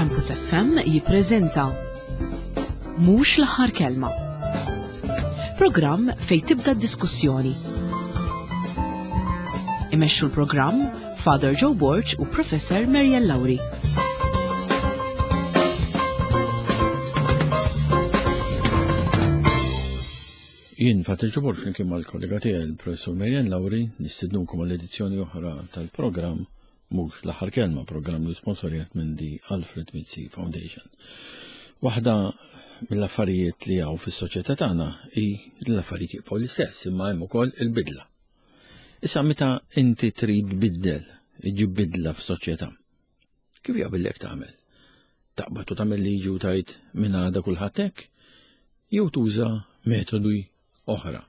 Campus FM jippreżenta Mhux l-aħħar kelma. Programm fejn tibda d-diskussjoni. Imexxu l-programm Father Joe Borg u Professor Marian Lauri. Jien Father Joe Borg flimkien mal-kollega tiegħi il-Professur Marian Lauri nistednukom għall edizzjoni oħra tal-programm Mhux l-aħħar kelma, programm li sponsorjat minn The Alfred Mizzi Foundation. Waħda mill-affarijiet li hawn fis-soċjetà tagħna hi li l-affarijiet jibqgħu l-istess, imma hemm ukoll il-bidla. Issa meta inti trid biddel, iġib bidla f'soċjetà, kif jaqbillek tagħmel? Taqbad u tagħmel liġi u tajt minn għada kulħadd hekk? Jew tuża metodi oħra.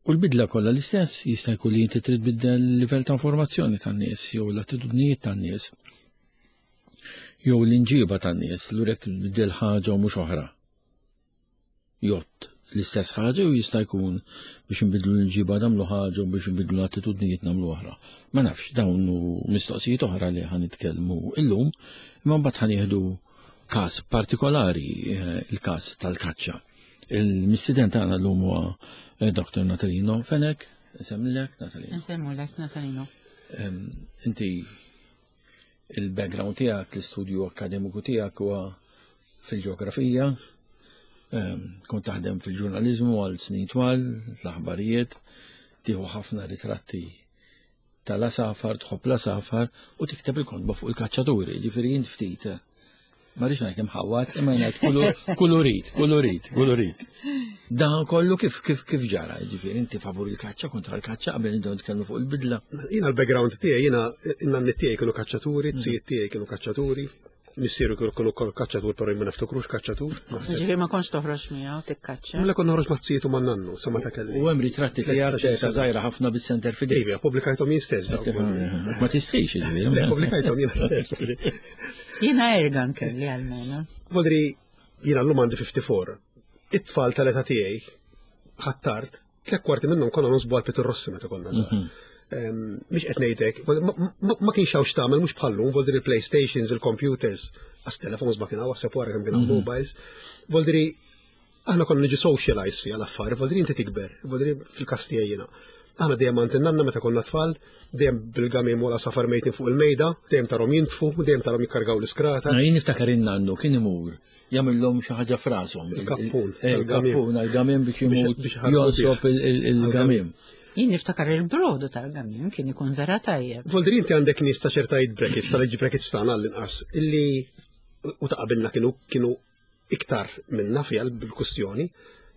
U l-bidla kollha l-istess jista' jkun li inti trid biddel il-livell ta' informazzjoni tan-nies jew l-attitudnijiet tan-nies jew l-inġiba tan-nies l jekk tbiddel ħaġa u mhux oħra. Jott l-istess ħaġa u jista' jkun biex nbidlu l-inġiba nagħmlu ħaġa u biex nbidlu l-attitudnijiet nagħmlu oħra. Ma nafx dawn hu mistoqsijiet oħra li ħa nitkellmu illum, imma mbagħad ħa nieħdu każ partikolari, eh, il-każ tal-kaċċa. Il-mistiden tagħna llum huwa eh, Dr. Natalino Fenek, nsemmilek Natalino. Nsemmulek Natalino. Inti il-background tiegħek, l-istudju akademiku tiegħek huwa fil-ġeografija, kont taħdem fil-ġurnaliżmu għal snin twal, l-aħbarijiet, tieħu ħafna ritratti tal-għasafar, tħobb l-għasafar u tikteb il-kotba fuq il-kaċċaturi, ġifieri jien ftit. Ma rridx ngħid imħawwad, imma ngħid kulurit, kulurit, kulurit. Dan kollu kif kif kif ġara, ġifieri inti favur il-kaċċa kontra l-kaċċa qabel intom nitkellmu fuq il-bidla. Jiena l-background tiegħi jiena in-nanni tiegħi kienu kaċċaturi, t-sijiet tiegħi kienu kaċċaturi, Missieru kienu ukoll kaċċatur, però jien ma niftakrux kaċċatur. Ġifieri ma kontx toħroġ miegħu tikkaċċa. Mela kont noħroġ ma' zietu ma' nannu, sa meta kelli. U hemm ritratti tiegħek ta' żgħira ħafna bis-center fidejk. Iva, pubblikajthom jien stess. Ma tistħix ġifieri. Le, pubblikajthom jien stess. Jiena ergan kelli għalmenu. Vodri, jiena llum għandi 54. It-tfal tal-età tiegħi ħattart Tlek kwarti minnhom konna nonsbu għal Peter Rossi meta konna żgħar. Mhm. Mhix qed ngħidlek, ma kienx hawn x'tagħmel mhux bħallum, vol il-PlayStations, il-computers, għas telefons ma kien hawn għaseb wara kemm kien hawn mhm. mobiles. Vol aħna konna niġu socialize fiha l-affari, vol inti tikber, vol fil-każ tiegħi jiena. Aħna dejjem għand in-nanna meta konna tfal, dejjem bil-gamim wara safar mejtin fuq il-mejda, dejjem tarhom jintfu, dejjem tarhom jikkargaw l-iskrata. Jien niftakar in-nannu kien imur jagħmilhom xi ħaġa f'rashom. Il-kappun. Eh, il-kappun għal-gamim biex imut jonsob il-gamim. Jien niftakar il-brodu tal-gamim kien ikun vera tajjeb. Voldri inti għandek nies ta' ċerta brackets, tal-age brackets tagħna għall-inqas, illi u ta' qabilna kienu kienu iktar minna fiha bil-kustjoni,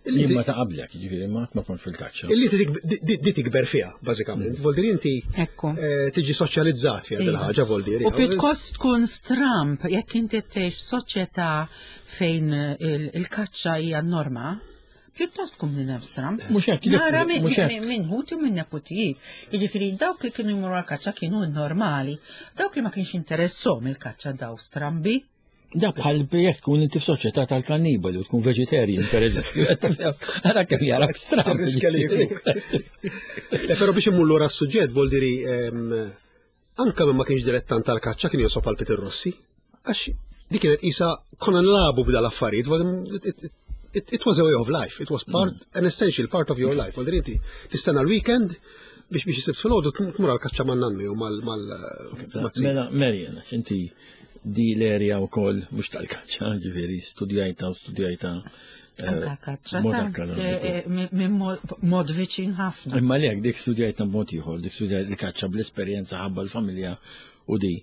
Jien ma ta' qablek, ġifieri ma ma kont fil-kaċċa. Illi di tikber fiha, bażikament. Mm. Voldiri inti eh, tiġi soċjalizzat fiha dil ħaġa voldiri. U pjuttost tkun stramp jekk inti tgħix f'soċjetà fejn il-kaċċa hija norma, pjuttost tkun minn stramp. Mhux hekk, nara minn ħuti u minn neputijiet. Jiġifieri dawk li kienu jmorru għal-kaċċa kienu normali, dawk li ma kienx interessom il-kaċċa daw strambi. Da bħal jekk tkun inti f'soċjetà tal-kannibali u tkun vegetarian, per eżempju. Ara kemm jarak stramb. Eh, però biex immur lura s-suġġett vol diri ehm, anka minn ma kienx dilettant tal-kaċċa kien josob għal Peter Rossi. Għax dik kienet isa konna nlabu b'dal affarijiet, it was a way of life, it was part, mm. an essential part of your life. Vol diri inti tistenna l-weekend biex biex jisib fil-ħodu tmur għal-kaċċa man-nannu jew mal Mela, Marian, inti Di l-erja u koll, mux tal-kaċċa, ġifiri, studjajta u studjajta. Eh, Anka kaċċa. Eh, eh, minn mod viċin ħafna. Imma lek, dik studjajta mod ieħor, dik studjajta l-kaċċa bl-esperjenza ħabba l-familja u di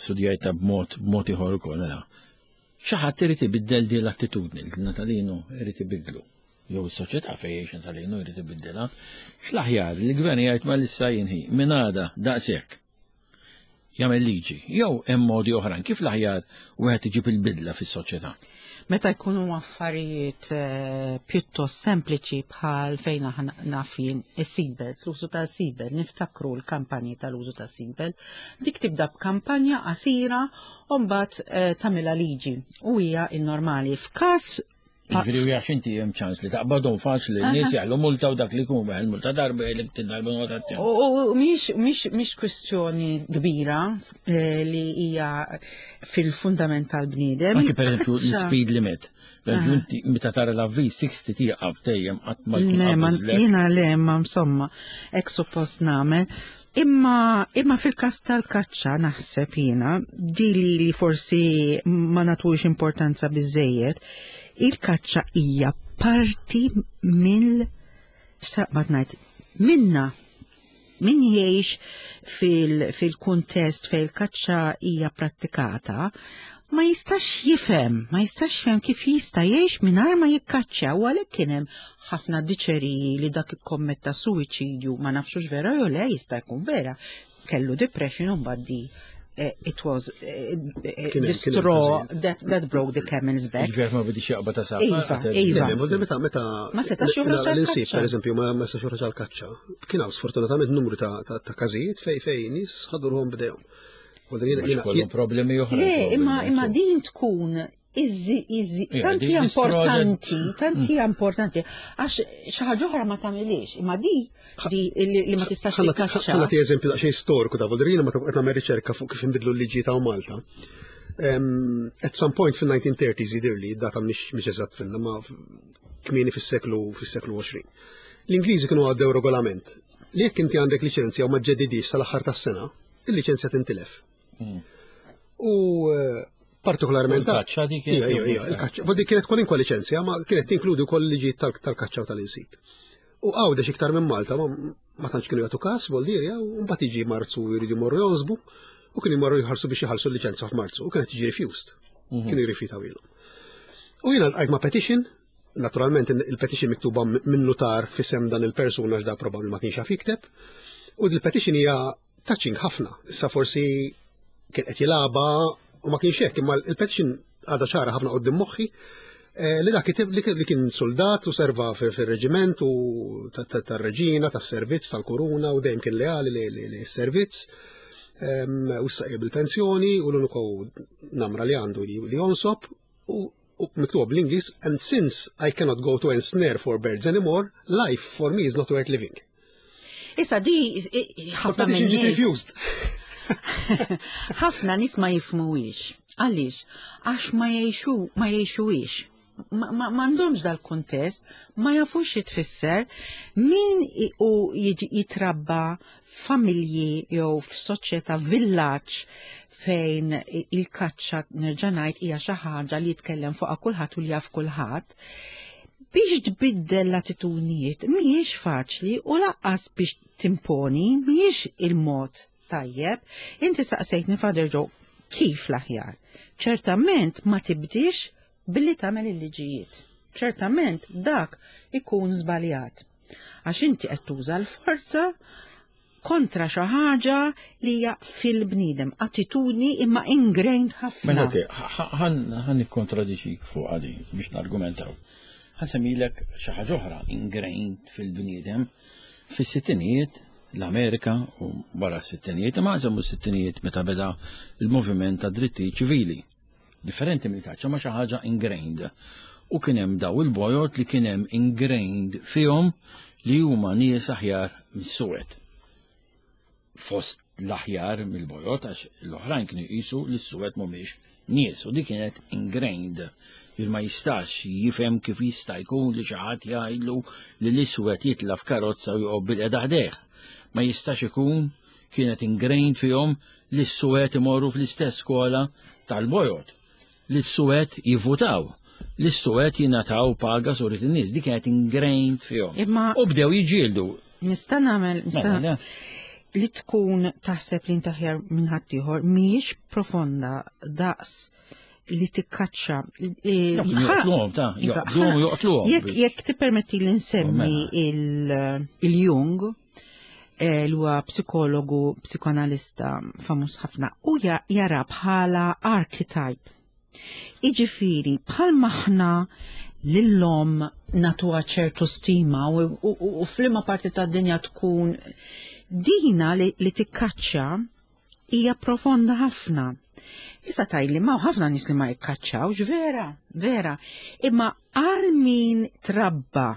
studjajta b'mod b'mod ieħor ukoll. Mela. Xi ħadd irid ibiddel di l-attitudni, l-Natalino irid ibidlu. Jew is-soċjetà fejn jgħix Natalino jrid ibiddilha. X'l-aħjar li l-gvern jgħid ma lissa jinħi minn għada daqshekk. jagħmel liġi, jew hemm modi oħrajn kif l-aħjar wieħed iġib il-bidla fis-soċjetà. Meta jkunu affarijiet eh, pjuttost sempliċi bħal fejn aħna naf jien is-seatbelt, l-użu ta' seatbelt, niftakru l-kampanji tal-użu ta' seatbelt, dik tibda b'kampanja qasira u mbagħad eh, tagħmilha liġi u hija n-normali. F'każ Ġifieri u jax inti hemm ċans li taqbadhom faċli n-nies jaħlu multa u dak li jkun weħel multa darba jgħidlek tindarba notazzjoni. U mhix kwistjoni kbira eh, li hija fil-fundament tal-bniedem. Anki pereżempju l-speed limit. Inti meta tara l-avviż 60 tieqaf dejjem qatt ma jkun. Jiena le ma insomma, hekk suppost nagħmel. Imma, imma fil-kas tal-kaċċa naħseb jiena, di li, li forsi ma natux importanza biżejjed, il-kaċċa hija parti mill xtaqbad ngħid, minna min jgħix fil-kuntest fil fejn il-kaċċa hija prattikata, ma jistax jifhem, ma jistax jifhem kif jista' jgħix mingħajr ma jikkaċċja u għalhekk kien hemm ħafna diċeriji li dak ikkommetta suwiċidju ma nafxux vera jew le jista' jkun vera. Kellu depression u mbagħad di eh, it was eh, eh, the straw that, that broke the camel's back. Ġifier ma bidix jaqba ta' sa. Iva, iva. Meta meta ma setax joħroġ għall-insib, pereżempju, ma setax joħroġ għall-kaċċa. Kien hawn sfortunatament numru ta' każijiet fej fej nies ħadurhom bdejhom. Kollu problemi oħra. Le, imma imma din tkun izzi, izzi, tanti importanti, tanti mm. importanti, għax xi ħaġa oħra ma tagħmilix, imma di di li ma tistax tikkaċċa. Ħa nagħti eżempju daqsxejn storiku ta' Voldrina ma qed nagħmel riċerka fuq kif inbidlu l-liġi ta' Malta. At some point fil-1930s jidirli, data mhix eżatt finna, ma kmieni fis-seklu fis-seklu 20. L-Ingliżi kienu għaddew regolament li jekk inti għandek liċenzja u ma ġedidix sal-aħħar tas-sena, il-liċenzja tintilef. Hmm. U eh, partikolarment. Il-kaċċa dik. Ija, ija, ija, il-kaċċa. Dik kienet kwalinkwa liċenzja, ma kienet tinkludi wkoll liġi tal-kaċċa u tal-insib. U għawdex iktar minn Malta, ma tantx kienu jagħtu każ, voldirja, u mbagħad jiġi Marzu jridu jmorru jonsbu, u kienu jmorru jħarsu biex jħallsu l-liċenzja f'Marzu, u kienet tiġi refused. Mhm. Kienu jirrifjutaw ilhom. U jiena lqajt ma' petition, naturalment il-petition miktuba minn notar fisem dan il-persuna x'da probabbli ma kienx jaf jikteb, u il-petition hija touching ħafna. Issa forsi kien qed jilagħba u ma kienx hekk, imma il-petition għadha ċara ħafna qudiem moħħi eh, li dak li kien soldat u serva fir-reġiment u tar-reġina, tas-servizz, tal-kuruna u dejjem kien leali li s-servizz. Ehm, u issa bil-pensjoni u l-uniku namra li għandu li jonsob u miktuba bl-Ingliż, and since I cannot go to ensnare for birds anymore, life for me is not worth living. Issa di ħafna minn nies. Ħafna nies ma jifmuwix. Għaliex? Għax ma jgħixu, ma jgħixuwix. Ma m'għandhomx dal-kuntest, ma jafux xi tfisser min u jitrabba f'familji jew f'soċjetà villaġġ fejn il-kaċċa nerġa' ngħid hija xi ħaġa li jitkellem fuqha kulħadd u li jaf kulħadd. Biex tbiddel l-attitudnijiet mhijiex faċli u laqqas biex timponi mhijiex il-mod tajjeb. Inti saqsejtni Father Joe kif l-aħjar. Ċertament ma tibdix billi tagħmel il-liġijiet. Ċertament dak ikun żbaljat. Għax inti qed tuża l-forza kontra xi ħaġa li hija fil-bniedem, attitudni imma ingrained ħafna. Mela ok, ħan nikkontradiċik fuq għadi biex nargumentaw. Ħasemilek xi ħaġa oħra ingrained fil-bniedem fis-sittinijiet l-Amerika u wara s-sittinijiet, imma nsemmu s-sittinijiet meta beda il-moviment ta' dritti ċivili. Differenti mill-kaċċa ma xi ħaġa ingrained. U kien hemm daw il-bojod li kien hemm ingrained fihom li huma nies aħjar mis-suwed. Fost l-aħjar mill-bojod għax l-oħrajn kienu jqisu li s-suwed mhumiex nies u dik kienet ingrained. Il ma jistax jifhem kif jista' jkun li xi ħadd jgħidlu li l-iswed jitla' f'karozza u joqgħod bil-qeda ħdejh. Ma jistax ikun kienet ingrained fihom li s-suwed imorru fl-istess skola tal-bojod, li s-suwed jivvutaw, li s-suwed jingħataw paga surit in-nies, dik kienet ingrained fihom. Imma U bdew jiġġieldu. Nista' nagħmel nista' Mela, li tkun taħseb li inti aħjar minn ħaddieħor mhijiex profonda daqs li tikkaċċa. Joqtluhom ta' Iva, joqtluhom u joqtluhom. Jekk jekk tippermetti li nsemmi Mela. il-Jung, eh, li huwa psikologu, psikoanalista famuż ħafna, u jara bħala archetype. Iġifiri, bħal maħna lillom natuha ċertu stima u, u, u, u flima parti tad dinja tkun dina li, li tikkaċċa Hija profonda ħafna. Issa tajli ma ħafna nies li ma jikkaċċawx, vera, vera. Imma għal min trabba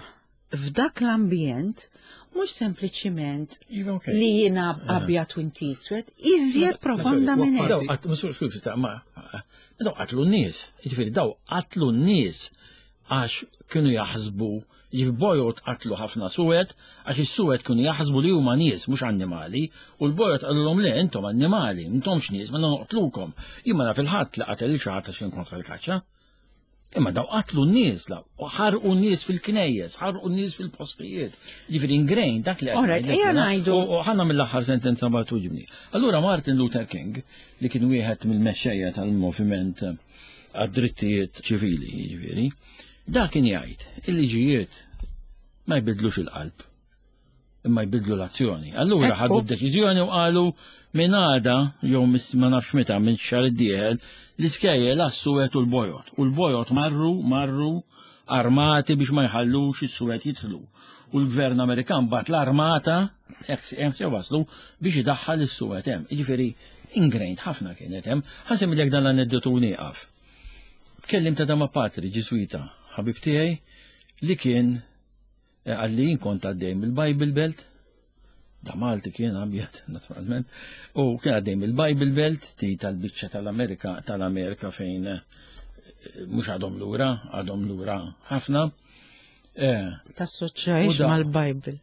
f'dak l-ambjent, mhux sempliċiment Iva, ok. li jiena abjad u inti iswed, iżjed profonda minn hekk. Daw qatt, mhux skużi ta' ma daw qatlu n-nies, jiġifieri daw qatlu n-nies għax kienu jaħsbu jiġifieri bojod qatlu ħafna suwed għax is-suwed kienu jaħsbu li huma nies mhux annimali u l-bojod qalulhom le intom annimali, intomx nies, mela noqtlukom. Jien ma naf il-ħadd li qatel lil xi ħadd għax kien kontra l-kaċċa. Imma daw qatlu n-nies, la, u ħarqu n-nies fil-knejjes, ħarqu n-nies fil-postijiet. Jiġifieri ingrained dak li qed Alright, ngħidlek ejja jiena. ngħidu. U ħanna mill-aħħar sentenza ma tuġibni. Allura Martin Luther King, li kien wieħed mill-mexxejja tal-moviment għad-drittijiet ċivili, jiġifieri, dak kien jgħid il-liġijiet ma jbidlux il-qalb, imma jbidlu l-azzjoni. Allura Ekku. ħadu d-deċiżjoni u qalu minn għada, jew ma nafx meta minn xahar id-dieħel, l-iskejjel għas-suwed u l-bojod. U l-bojod marru armati biex ma jħallux is-suwed jidħlu. U l-gvern Amerikan bat l-armata, hekk hemm se waslu, biex idaħħal is-suwed hemm. Jiġifieri ingrained ħafna kienet hemm. Ħa nsemmilek dan l-aneddotu nieqaf. Tkellim ta' dama patri Ġiżwita, ħabib tiegħi, li kien għalli jien kont għaddej mill-Bible Belt, da Malti kien abjad, naturalment, u kien għaddej mill-Bible Belt, ti tal-biċċa tal-Amerika, tal-Amerika fejn mhux għadhom lura, għadhom lura ħafna. Tassoċjajx mal-Bible.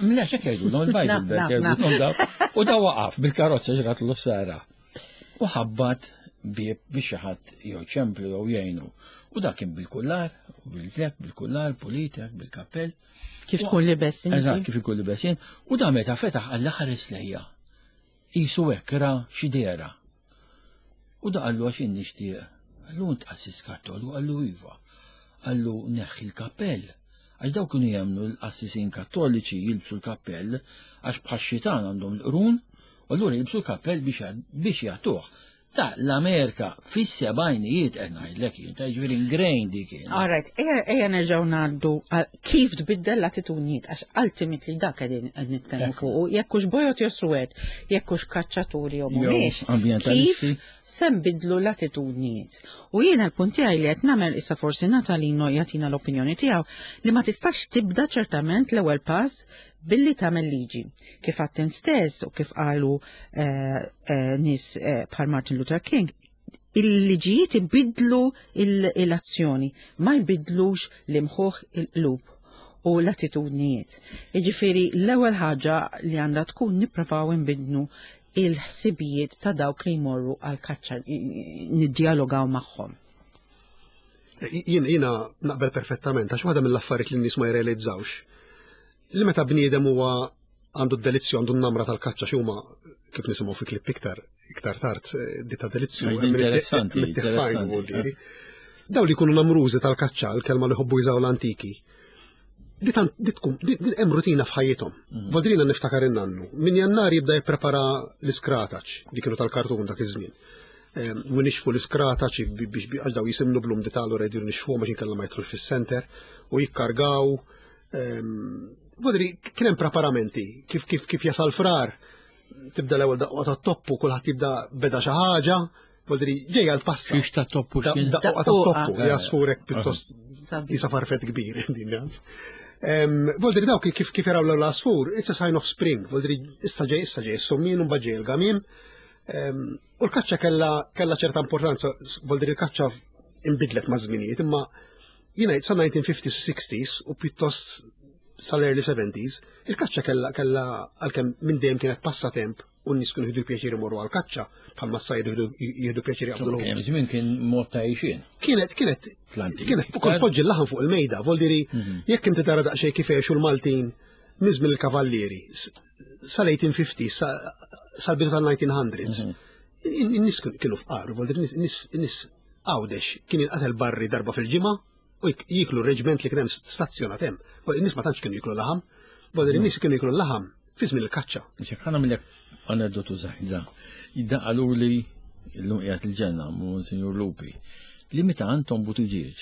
Mela, x'hekk jgħidulhom il-Bible Belt, jgħidulhom daw. U da waqaf bil-karozza ġrat l-sara. U ħabbat bieb biex xi ħadd jew ċemplu jew jgħinu. U da kien bil-kullar, bil-klek, bil-kullar, pulitek, bil-kappell. Kif tkun libes inti? Eżatt, kif ikun libes jien. U da meta fetaħ għall ħares lejja. Isu hekk ra xi dera. U da qallu għax jien nixtieq. Qallu int qassis Kattoliku, qallu iva. Qallu neħħi l-kappell. Għax daw kienu jemmnu l-qassisin kattoliċi jilbsu l-kappell għax bħax-xitan għandhom l-qrun, u allura jilbsu l-kappell biex jagħtuh. Ta' l-Amerika fis-sebgħinijiet qed ngħidlek jien, ta' jiġifieri ingrained dik kien. All right, ejja nerġgħu ngħaddu għal kif tbiddel l-attitudnijiet, għax ultimately dak qegħdin qed nitkellmu fuqu, jekk hux bojod jew suwed, jekk hux kaċċaturi jew Jew mhumiex, ambjentalisti. kif se nbidlu l-attitudnijiet. U jiena l-punt tiegħi li qed nagħmel issa forsi Natalino jagħtina l-opinjoni tiegħu li ma tistax tibda ċertament l-ewwel pass billi tagħmel liġi. Kif għattin stess u kif qalu nies bħal Martin Luther King, il-liġijiet ibidlu l-azzjoni, ma jbidlux l-imħuħ il-qlub u l-attitudnijiet. Jiġifieri l-ewwel ħaġa li għandha tkun nipprovaw inbidlu il-ħsibijiet ta' dawk li jmorru għal-kaċċa, niddialogaw magħhom. Jiena naqbel perfettament, għax waħda mill-affarijiet li n-nies ma jirrealizzawx. Li meta bniedem huwa għandu d-delizzju, għandu n-namra tal-kaċċa, xi huma kif nisimgħu fi klipp iktar tard, di ta' delizzju, Għajdi interessanti, hemm it-tifajn interessanti, u l-diri. Daw li jkunu namrużi tal-kaċċa, l-kelma li ħobbu jużaw l-antiki, di tant, di tkun, di, di hemm rutina f'ħajjithom. Voldrina niftakar in-nannu. Min Jannar jibda jipprepara l-iskrataċ, li kienu tal-kartun dak iż-żmien. U nixfu l-iskrataċ biex għal daw jisimnu blum di tal rediru nixfu ma xinkella ma jitrux fis-center u jikkargaw. Vodri, kien hemm preparamenti kif jasal frar, tibda l-ewwel daqqa ta' toppu, kulħadd jibda beda xi ħaġa, vodri ġejja l-passa. Xiex ta' toppu x'kien? Daqqa ta' toppu, Daqqa. jasfurek pjuttost jisa farfet kbir, din jans. Voldri dawk kif jaraw l-ewwel għasfur, it's a sign of spring, voldri issa ġej, issa ġej, s-summin u mbagħad ġej il-gamim. U l-kaċċa kella ċerta importanza, voldri l-kaċċa imbidlet ma' żminijiet, imma jiena sa 1950s, 60s u pjuttost sal-early 70s, il-kaċċa kella għalkemm minn dejjem kienet passatemp u n-nies kienu jieħdu pjaċir imorru għall-kaċċa, bħalma s-sajdu jieħdu pjaċir jaqbdu l-ħut. Kien żmien kien mod ta' għixien. Kienet, Planti. kienet ukoll poġġi l-laħam fuq il-mejda, vol diri, jekk inti tara daqsxejn kif għexu l-Maltin minn il-Kavallieri, sal-1850, sal-bidu tal-1900s, in-nies kienu fqar, vol diri, in-nies Għawdex kien jinqatel barri darba fil-ġimgħa u jiklu r-reġment li kien hemm stazzjonat hemm. Vol in-nies ma tantx kienu jiklu laħam, vol diri, in-nies kienu jiklu l-laħam fi żmien il-kaċċa. Ġek, ħa nagħmillek aneddotu żgħira. Jidda qalu li llum qiegħed il-ġenna, Monsignor Lupi, li meta Anton Buttigieg,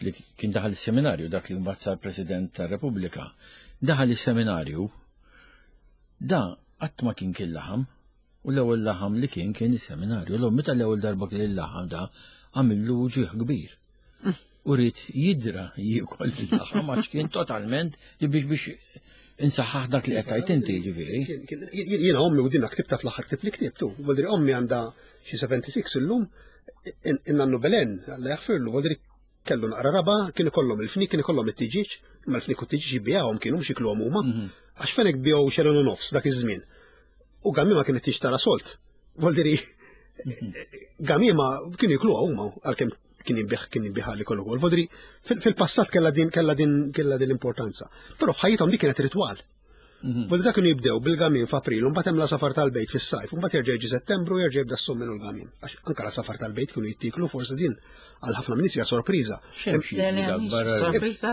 li kien daħal is-seminarju, dak li mbagħad sar President tar-Repubblika, daħal is-seminarju, da qatt ma kien kien laħam. U l-ewwel laħam li kien kien is-seminarju. L meta l-ewwel darba kien il-laħam da għamillu ġieħ kbir. U rrid jidra jiekol il-laħam għax kien totalment li biex biex insaħħaħ dak li qed tgħid inti ġifieri. Jiena ommi u dinna ktibta fl-aħħar ktib li ktibtu. Voldri ommi għandha xi 76 illum, in-nannu Belen, Alla jaħfirlu, voldri kellu naqra raba, kien ikollhom il-fnik, kien ikollhom it-tiġiġ, imma l-fnik u t-tiġiġ jibijawhom kienu mhux jikluhom huma. Mhm. Għax fenek biegħu xelin u nofs dak iż-żmien. U gamima kienet tixtara solt. Voldiri, mhm. gamima kienu jikluha huma għalkemm kien jinbih kien jinbih li kollu kol. Voldiri, fil-passat kellha din kellha din kellha din l-importanza. Però f'ħajjithom dik kienet ritwal. Mhm. Voldiri dak kienu jibdew bil-gamin f'April, mbagħad hemm l-safar tal-bejt fis-sajf, mbagħad jerġa' jiġi Settembru jerġa' jibda s-summin u l-gamin. Għax anke l-safar tal-bejt kienu jittiklu forsi din għal ħafna minn hija sorpriża.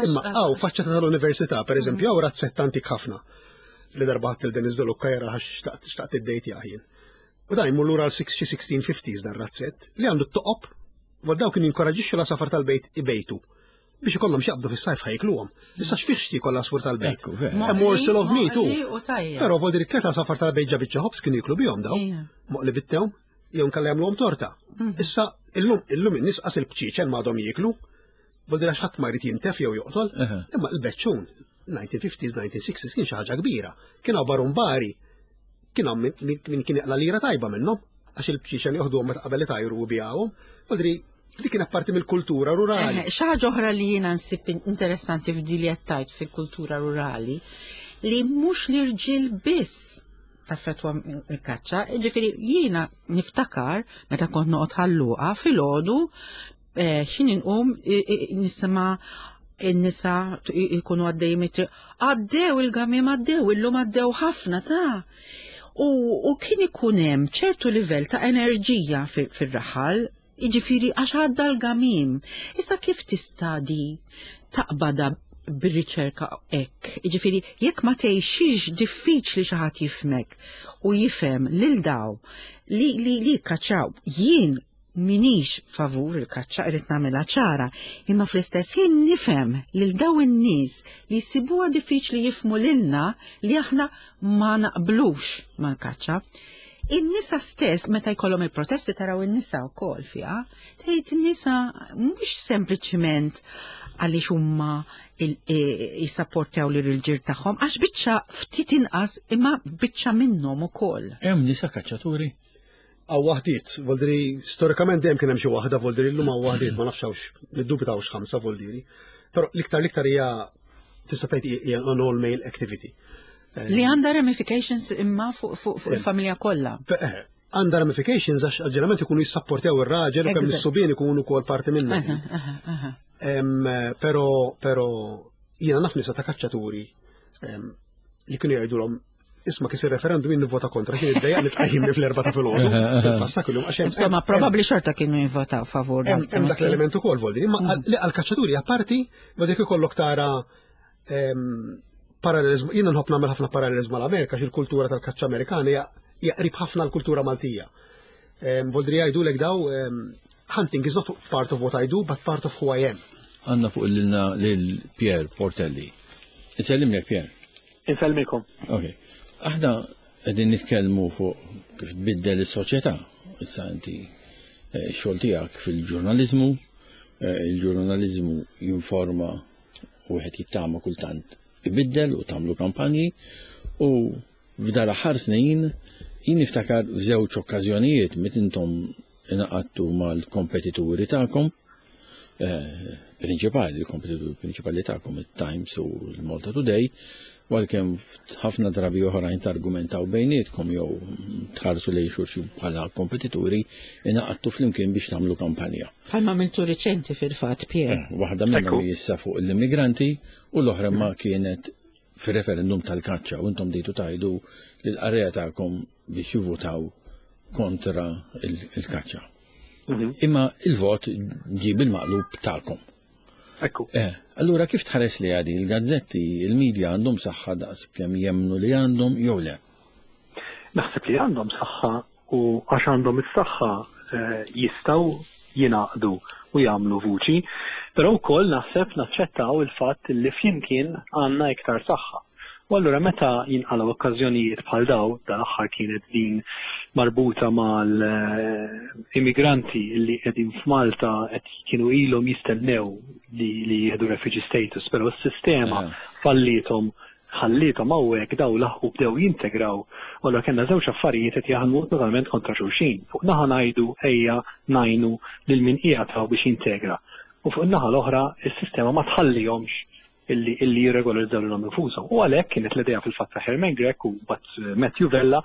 Imma hawn faċċata tal-università, pereżempju, hawn razzett antik ħafna li darba ħadd il-Denis Dolucca jara xtaqt xtaqt id-dejt jien. U dan jmur lura għal xi 1650s dan razzett li għandu t-toqob, u daw kien jinkoraġixxu la safar tal-bejt ibejtu biex ikollhom x'jaqbdu fis-sajf ħajkluhom. Issa x'fih x'tiekol l-għasfur tal-bejt? A morsel of meat u. Però vol dir tleta safar tal-bejt ġa biċċa ħobż kienu jiklu bihom daw. Moqli bit-tewm, jew nkella jagħmluhom torta. Mhm. Issa illum illum in-nies qas il-bċieċen m'għadhom jieklu. Vol dir għax ħadd ma jrid jintef jew joqtol, imma l-beċċun 1950s, 1960s kien xi ħaġa kbira. Kien hawn barumbari, kien hawn min kien jaqla lira tajba minnhom, għax il-bċieċen joħduhom meta qabel itajru u bijawhom. Vol Dik kienet parti mill-kultura rurali. Xi ħaġa oħra li jiena nsib interessanti f'dili qed tgħid fil-kultura rurali li mhux l-irġiel biss taffetwa il-kaċċa, ġifieri jiena niftakar meta kont noqgħod ħalluqa filgħodu eh, x'in inqum nisma' in-nisa jkunu għaddej mit għaddew il-gamim għaddew, illum għaddew ħafna ta' u, u kien ikun hemm ċertu livell ta' enerġija fir-raħal Jiġifieri għax għadda l-gamim. Issa kif tista' di taqbada bir-riċerka hekk? Jiġifieri jekk ma tgħixix diffiċli xi ħadd jifhmek u jifhem lil daw li li li jikkaċċaw. Jien minix favur il-kaċċa irrid nagħmilha ċara, imma fl-istess ħin nifhem lil daw in-nies li jsibuha diffiċli jifhmu lilna li aħna ma naqblux mal-kaċċa. In-nisa stess meta jkollhom il-protesti taraw in-nisa wkoll fiha, tgħid in-nisa mhux sempliċiment għaliex huma jissapportjaw lil irġiel tagħhom għax biċċa ftit inqas imma biċċa minnhom ukoll. Hemm nisa kaċċaturi? Għaw waħdiet, voldiri, storikament dejjem kien hemm xi waħda, voldiri llum hawn waħdiet, ma nafx hawnx, niddubitawx ħamsa voldiri. Però l-iktar l-iktar hija tista' tgħid hija an all male activity. Eh, Li għandha ramifications imma fuq eh, il-familja kollha. Eh, għandha ramifications għax ġeneralment ikunu jissapportjaw ir-raġel u kemm is-subien ikunu wkoll parti minnha. Però però jiena naf nisa ta' kaċċaturi li kienu jgħidulhom isma' kis ir-referendum jien nivvota kontra kien iddejjaq li tqajjimni fl-erba' ta' filgħodu. Fil-passat kuljum għax hemm. Insomma, probabbli xorta kienu jivvotaw favur. Hemm dak l-element ukoll voldi, imma mm. li għall-kaċċaturi apparti voldi ikollok tara parallelizmu, jiena nħobb nagħmel ħafna parallelizmu mal-Amerika għax il-kultura tal-kaċċa Amerikana hija qrib ħafna l-kultura Maltija. Voldri jgħidulek daw hunting is not part of what I do, but part of who I am. Għanna fuq l-lina lil Pier Portelli. Insellimlek Pier. Insellmikom. Ok. Aħna qegħdin nitkellmu fuq kif tbiddel is-soċjetà. Issa inti eh, xogħol tiegħek fil-ġurnaliżmu, eh, il-ġurnaliżmu jinforma u wieħed jittama kultant ibiddel u tagħmlu kampanji u f'dar aħħar snin jien niftakar f'żewġ okkażjonijiet meta intom ingħaqadtu mal-kompetituri tagħkom eh, prinċipali, il-kompetituri prinċipali tagħkom it-Times u l-Malta Today, għalkemm ħafna drabi oħrajn targumentaw bejnietkom jew tħarsu lejn xulxin bħala kompetituri, ingħaqadtu flimkien biex tagħmlu kampanja. Bħalma għamiltu riċenti fil-fatt, Pier. Eh, waħda minnhom issa fuq l-immigranti u l-oħra ma kienet fir-referendum tal-kaċċa u intom dejtu tajdu lill-qarrejja tagħkom biex jivvutaw kontra il-kaċċa. Mhm. Imma il-vot ġie bil-maqlub tagħkom. Ekku. Eh, allura kif tħares li għadi il-gazzetti, il-medja għandhom saħħa daqs kemm jemnu li għandhom jew le? Naħseb li għandhom saħħa u għax għandhom is-saħħa eh, jistgħu jingħaqdu u jagħmlu vuċi, però wkoll naħseb naċċettaw il-fatt li flimkien għandna iktar saħħa. U allura meta jinqalgħu okkażjonijiet bħal daw, dal-aħħar kienet din marbuta mal-immigranti li qegħdin f'Malta qed kienu ilhom jistennew li, li jieħdu refugee status, però s-sistema fallithom ħallithom hawnhekk daw laħqu bdew jintegraw. U allura kellna żewġ affarijiet qed jaħdmu totalment kontra xulxin. Fuq naħa ngħidu ejja ngħinu lil min qiegħed hawn biex jintegra. U fuq in-naħa l-oħra is-sistema ma tħallihomx illi illi jirregolarizzaw lilhom infushom. U għalhekk kienet l-idea fil-fatt ta' Herman Grech u mbagħad Matthew Vella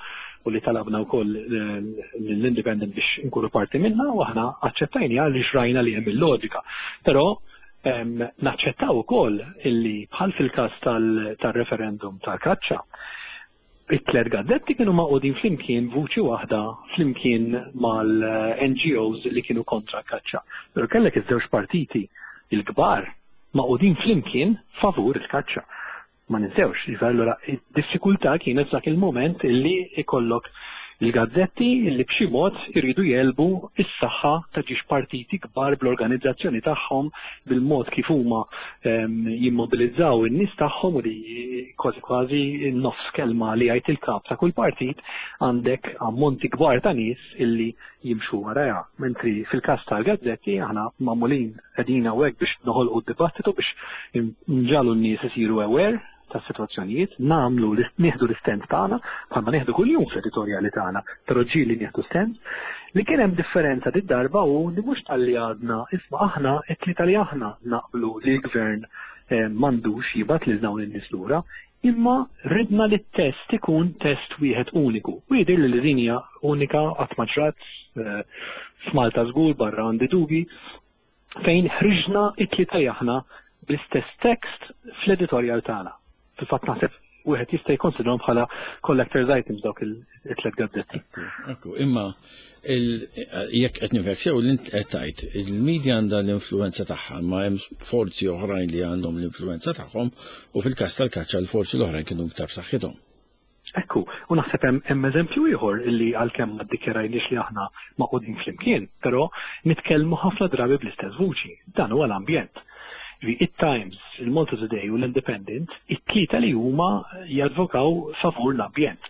u li talabna wkoll l-Independent biex inkunu parti minna u aħna aċċettajniha għaliex rajna li hemm il-loġika. Però naċċettaw ukoll illi bħal fil-każ tal-referendum tal-kaċċa, it-tlet gazzetti kienu magħqudin flimkien vuċi waħda flimkien mal-NGOs li kienu kontra l-kaċċa. Però kellek iż-żewġ partiti il-kbar magħqudin flimkien favur il-kaċċa. Ma ninsewx, jiġifieri allura id-diffikultà kienet f'dak il-mument illi ikollok il-gazzetti illi b'xi mod iridu jegħlbu s-saħħa ta' ġiex partiti kbar bl-organizzazzjoni tagħhom, bil-mod kif huma jimmobilizzaw in-nies tagħhom u li kważi kważi nofs kelma li jgħid il-kap ta' kull partit għandek ammonti kbar ta' nies illi jimxu warajha. Mentri fil-każ tal-gazzetti aħna magħmulin qegħdin hawnhekk biex noħolqu d-dibattitu biex nġagħlu n-nies isiru aware tas-sitwazzjonijiet, nagħmlu nieħdu l-istand tagħna, bħalma nieħdu kuljum fl-editorjali tagħna, però ġieli nieħdu stand. Li kien hemm differenza did-darba hu li mhux talli għadna, isma' aħna it-tlieta li aħna naqblu li l-gvern m'għandux jibgħat lil dawn in-nies lura, imma ridna li t-test ikun test wieħed uniku. U jidhirli li din hija unika qatt ma ġrat f'Malta żgur barra għandi dubji, fejn ħriġna it-tlieta li aħna bl-istess tekst fl-editorjal tagħna. Fil-fatt naħseb wieħed jista' jikkonsidrahom bħala collector's items dawk it-tliet gazzetti. Ekku, imma jekk qed nifhek sew li int qed tgħid, il-media għandha l-influenza tagħha, ma hemm forzi oħrajn li għandhom l-influenza tagħhom u fil-każ tal-kaċċa l-forzi l-oħrajn kienu iktar b'saħħithom. Ekku, u naħseb hemm eżempju ieħor illi għalkemm ma ddikjarajniex li aħna magħqudin flimkien, però nitkellmu ħafna drabi bl-istess vuċi. Dan huwa l-ambjent. Ġifieri it-Times, il-Malta Today u l-Independent, it-tlieta li huma jadvokaw favur l-ambjent.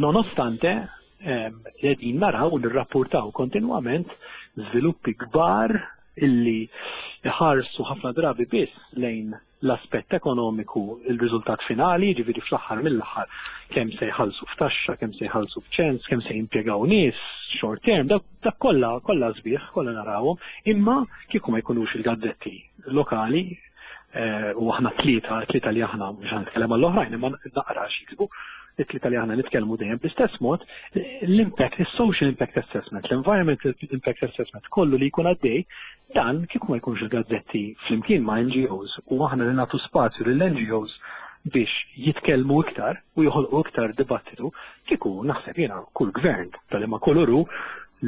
Nonostante qegħdin naraw u nirrappurtaw kontinwament żviluppi kbar illi ħarsu ħafna drabi biss lejn l-aspett ekonomiku, il-riżultat finali, jiġifieri fl-aħħar mill-aħħar kemm se jħallsu f'taxxa, kemm se jħallsu f'ċens, kemm se jimpjegaw nies short term, dak kollha kollha sbieħ, kollha narawhom, imma kieku ma jkunux il-gazzetti lokali eh, u aħna tlieta, tlieta li aħna mhux nitkellem għall-oħrajn, imma naqra x'jiktbu, it-tlieta li aħna nitkellmu dejjem bl-istess mod, l-impact, il-social impact assessment, l-environmental impact assessment, kollu li jkun għaddej, Dan kieku ma jkunx il-gazzetti flimkien ma' NGOs u aħna li nagħtu spazju lill-NGOs biex jitkellmu iktar u joħolqu iktar dibattitu, kieku naħseb jiena kull gvern ta' liema kulur hu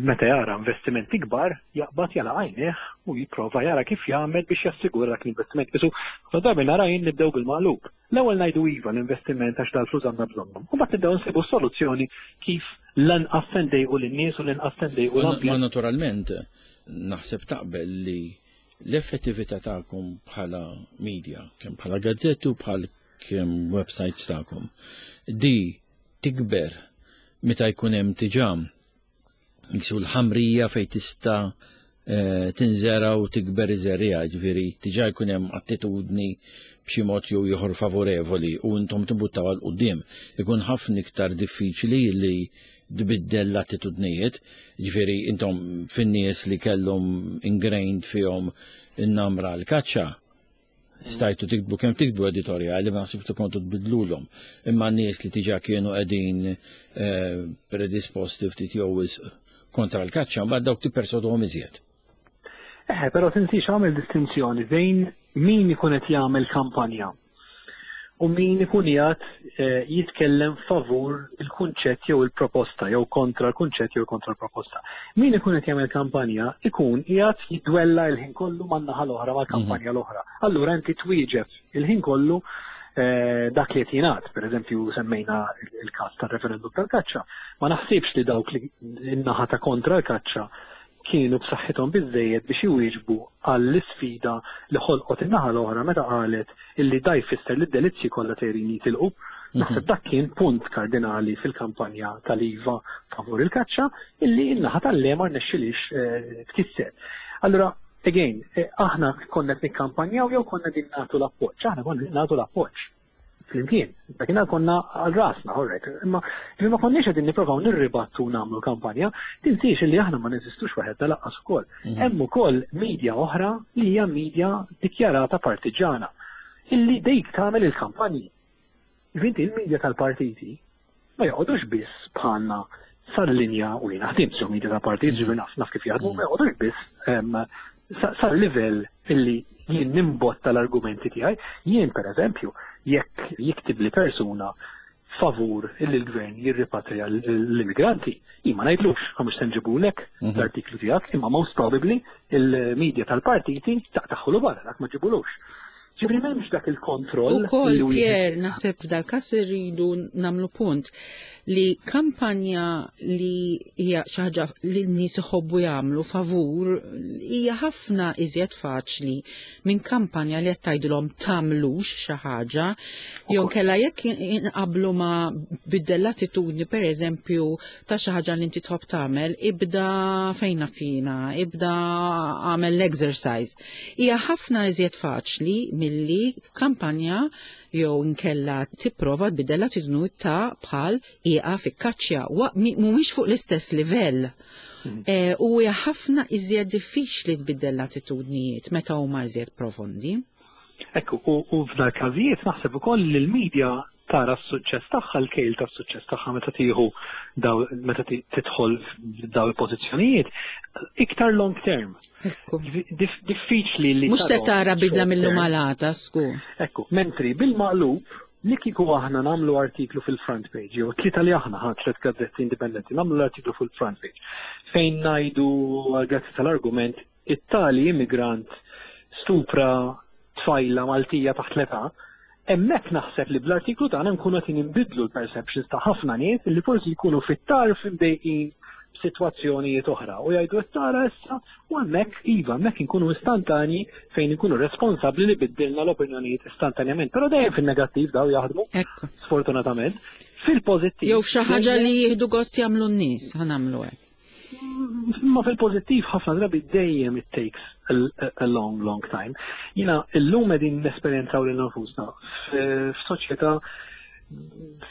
meta jara investimenti kbar jaqbad jagħlaq għajnejh u jipprova jara kif jagħmel biex jassigura dak l-investiment. Qisu ħafna drabi nara jien nibdew bil-maqlub. L-ewwel ngħidu iva l-investiment għax dal-flus għandna bżonnhom. U mbagħad nibdew nsibu soluzzjoni kif lanqas se ndejqu lin-nies u l-inqas se ndejqu l-ambjent. Ma naturalment naħseb taqbel li l-effettività tagħkom bħala media, kemm bħala gazzetti u bħal kemm websites tagħkom, di tikber meta jkun hemm diġà Jiksu l-ħamrija fej tista' eh, tinżera u tikber iż-żerriegħa, ġifieri diġà jkun hemm attitudni b'xi mod jew ieħor favorevoli u intom timbuttaw għal quddiem. Ikun ħafna iktar diffiċli li tbiddel l-attitudnijiet, ġifieri intom fin-nies li kellhom ingrained fihom in-namra l-kaċċa, Stajtu tiktbu kemm tiktbu editorjali, ma naħsibx li kontu tbidlulhom. Imma nies li diġà kienu qegħdin eh, predisposti ftit jew wisq kontra l-kaċċa, mbagħad dawk tippersoduhom iżjed. Eħe, però tinsiex għamel distinzjoni bejn min ikun qed jagħmel kampanja u min ikun qiegħed eh, jitkellem favur il-kunċett jew il-proposta jew kontra l-kunċett jew kontra l-proposta. Min ikun qed jagħmel kampanja ikun qiegħed jidwella l-ħin kollu man-naħa l-oħra mal-kampanja mhm. l-oħra. Allura inti twieġeb il-ħin kollu eh, dak li qed jingħad, pereżempju semmejna il-każ tar-referendum tal-kaċċa, ma naħsibx li dawk li n-naħa ta' kontra l-kaċċa kienu b'saħħithom biżżejjed biex iwieġbu għall-isfida li ħolqot in-naħa l-oħra meta qalet illi da jfisser li d-delizzji kollha sejrin jitilqu. Naħseb dak kien punt kardinali fil-kampanja tal-IVA favur il-kaċċa illi n-naħa tal-le ma rnexxilix eh, tkisser. Allura, again, eh, aħna konna qed nikkampanjaw jew konna din nagħtu l-appoġġ, aħna konna nagħtu l-appoġġ flimkien. Dakinhar konna għal rasna, alright. Imma li ma konniex qegħdin nipprovaw nirribattu nagħmlu kampanja, tinsiex li aħna ma neżistux waħedna laqqas ukoll. Mhm. Hemm ukoll media oħra li hija media dikjarata partiġana illi dejk tagħmel il-kampanji. Vinti il-media tal-partiti ma joqgħodux biss bħalna sal-linja u jiena ħdimt sew media tal-partit, ġifieri naf naf kif jaħdmu, ma joqgħodux biss sal-livell illi jien nimbotta l-argumenti tiegħi. Jien pereżempju, jekk jiktib li persuna favur illi l-gvern jirripatrija l-immigranti, jien ma ngħidlux għax se nġibulek mhm. l-artiklu tiegħek, imma most probably il-media tal-partiti taqtaħħulu barra, dak ma ġibulux. Ġifieri m'hemmx dak il-kontroll. Ukoll Pier naħseb f'dal-każ irridu nagħmlu punt li kampanja li hija xi ħaġa li n-nies iħobbu jagħmlu favur hija ħafna iżjed faċli minn kampanja li qed tgħidilhom tagħmlux xi ħaġa jew kella jekk inqablu ma' biddel l-attitudni pereżempju ta' xi ħaġa li inti tħobb tagħmel, ibda fejn fina, ibda għamel l-exercise. Hija ħafna iżjed faċli milli kampanja jew inkella tipprova tbiddel l-attitudni ta' bħal ieqaf ikkaċċja mhumiex fuq l-istess livell. Hmm. Eh, u hija ħafna iżjed diffiċli tbiddel l-attitudnijiet meta huma iżjed profondi. Ekku, u f'dal każijiet naħseb ukoll li l-medja tara s-suċċess tagħha, l-kejl tas-suċċess tagħha meta tieħu daw meta tidħol daw il-pożizzjonijiet iktar long term. Ekku. Diffiċli li. Mhux se tara bidla mill-lum għal għada, skur. Ekku, mentri bil-maqlub li kieku aħna nagħmlu artiklu fil-front page, jew tlieta li aħna ħadd tliet gazzetti indipendenti nagħmlu l-artiklu fil-front page fejn ngħidu grazzi tal-argument it-tali immigrant stupra tfajla Maltija taħt l-età, hemmhekk naħseb li bl-artiklu tagħna nkunu qed inbidlu l-perceptions ta' ħafna nies li forsi jkunu fit-tarf imdejqin b'sitwazzjonijiet oħra u jgħidu qed tara issa u hemmhekk iva hemmhekk inkunu istantanji fejn inkunu responsabbli li biddilna l-opinjonijiet istantanjament. Però dejjem fin-negattiv daw jaħdmu. Sfortunatament. Fil-pożittiv. Jew f'xi ħaġa li jieħdu gost jagħmlu n-nies, ħanamlu hekk. Ma fil-pozittiv ħafna drabi dejjem it takes a, a long, long time. Jina, illum qegħdin nesperjenzaw lil nfusna f'soċjetà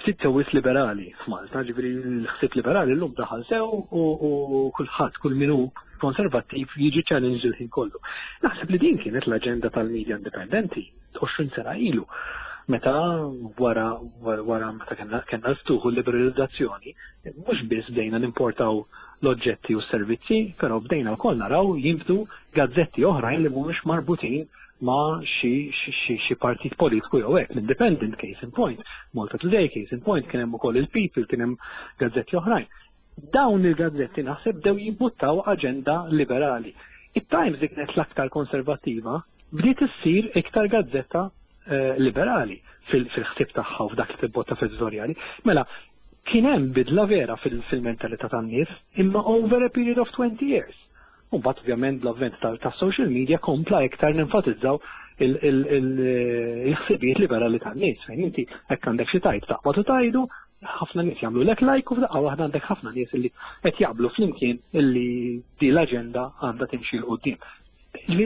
ftit sewwis liberali f'Malta, ġifieri l-ħsieb liberali llum daħal sew u kulħadd kull min hu konservattiv jiġi challenge il-ħin kollu. Naħseb li din kienet l-aġenda tal-media indipendenti 20 sena ilu. Meta wara wara meta kellna kellna l-ftuħ u l-liberalizzazzjoni, mhux biss bdejna nimportaw l-oġġetti u s-servizzi, però bdejna wkoll naraw jinbtu gazzetti oħrajn li mhumiex marbutin ma' xi xi partit politiku jew hekk. L-Independent case in point, Malta Today case in point, kien hemm ukoll il-People, kien hemm gazzetti oħrajn. Dawn il-gazzetti naħseb bdew jimbuttaw aġenda liberali. It-Times li kienet l-aktar konservattiva bdiet issir iktar gazzetta eh, liberali fil-ħsieb tagħha u f'dak li tibbotta fil-editorjali. Mela, kien hemm bidla vera fil-mentalità tan-nies, imma over a period of 20 years. U mbagħad ovvjament bl-avvent tas-social media kompla iktar nenfatizzaw il-ħsibijiet liberali tan-nies fejn inti hekk għandek xi tajt taqbad u tajdu, ħafna nies jagħmlu lek like u f'daqqa waħda għandek ħafna nies li qed jaqblu flimkien illi di l-aġenda għandha timxi 'l quddiem.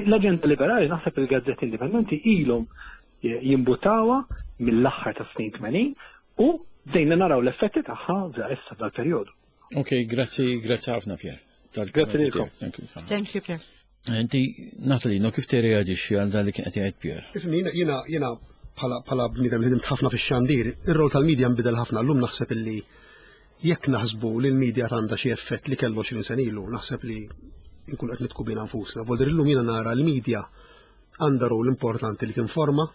L-aġenda liberali naħseb il-gazzetti indipendenti ilhom jimbutawha mill-aħħar tas-snin 80 u bdejna naraw l-effetti tagħha issa dal-perjodu. Ok, grazzi, grazzi ħafna Pier. Grazzi lilkom. Thank you. Thank you Pier. Inti, Natalie, no kif tirreaġixxi għal dan li kien qed jgħid Pier? Ifni, jiena jiena bħala bħala bniedem li ħdimt ħafna fix-xandir, ir-rol tal-medja nbidel ħafna llum naħseb illi jekk naħsbu li l-medja għandha xi effett li kellu 20 sena ilu, naħseb li nkun qed nitku bina nfusna. Voldir illum jiena nara l-medja għandha rol importanti li tinforma.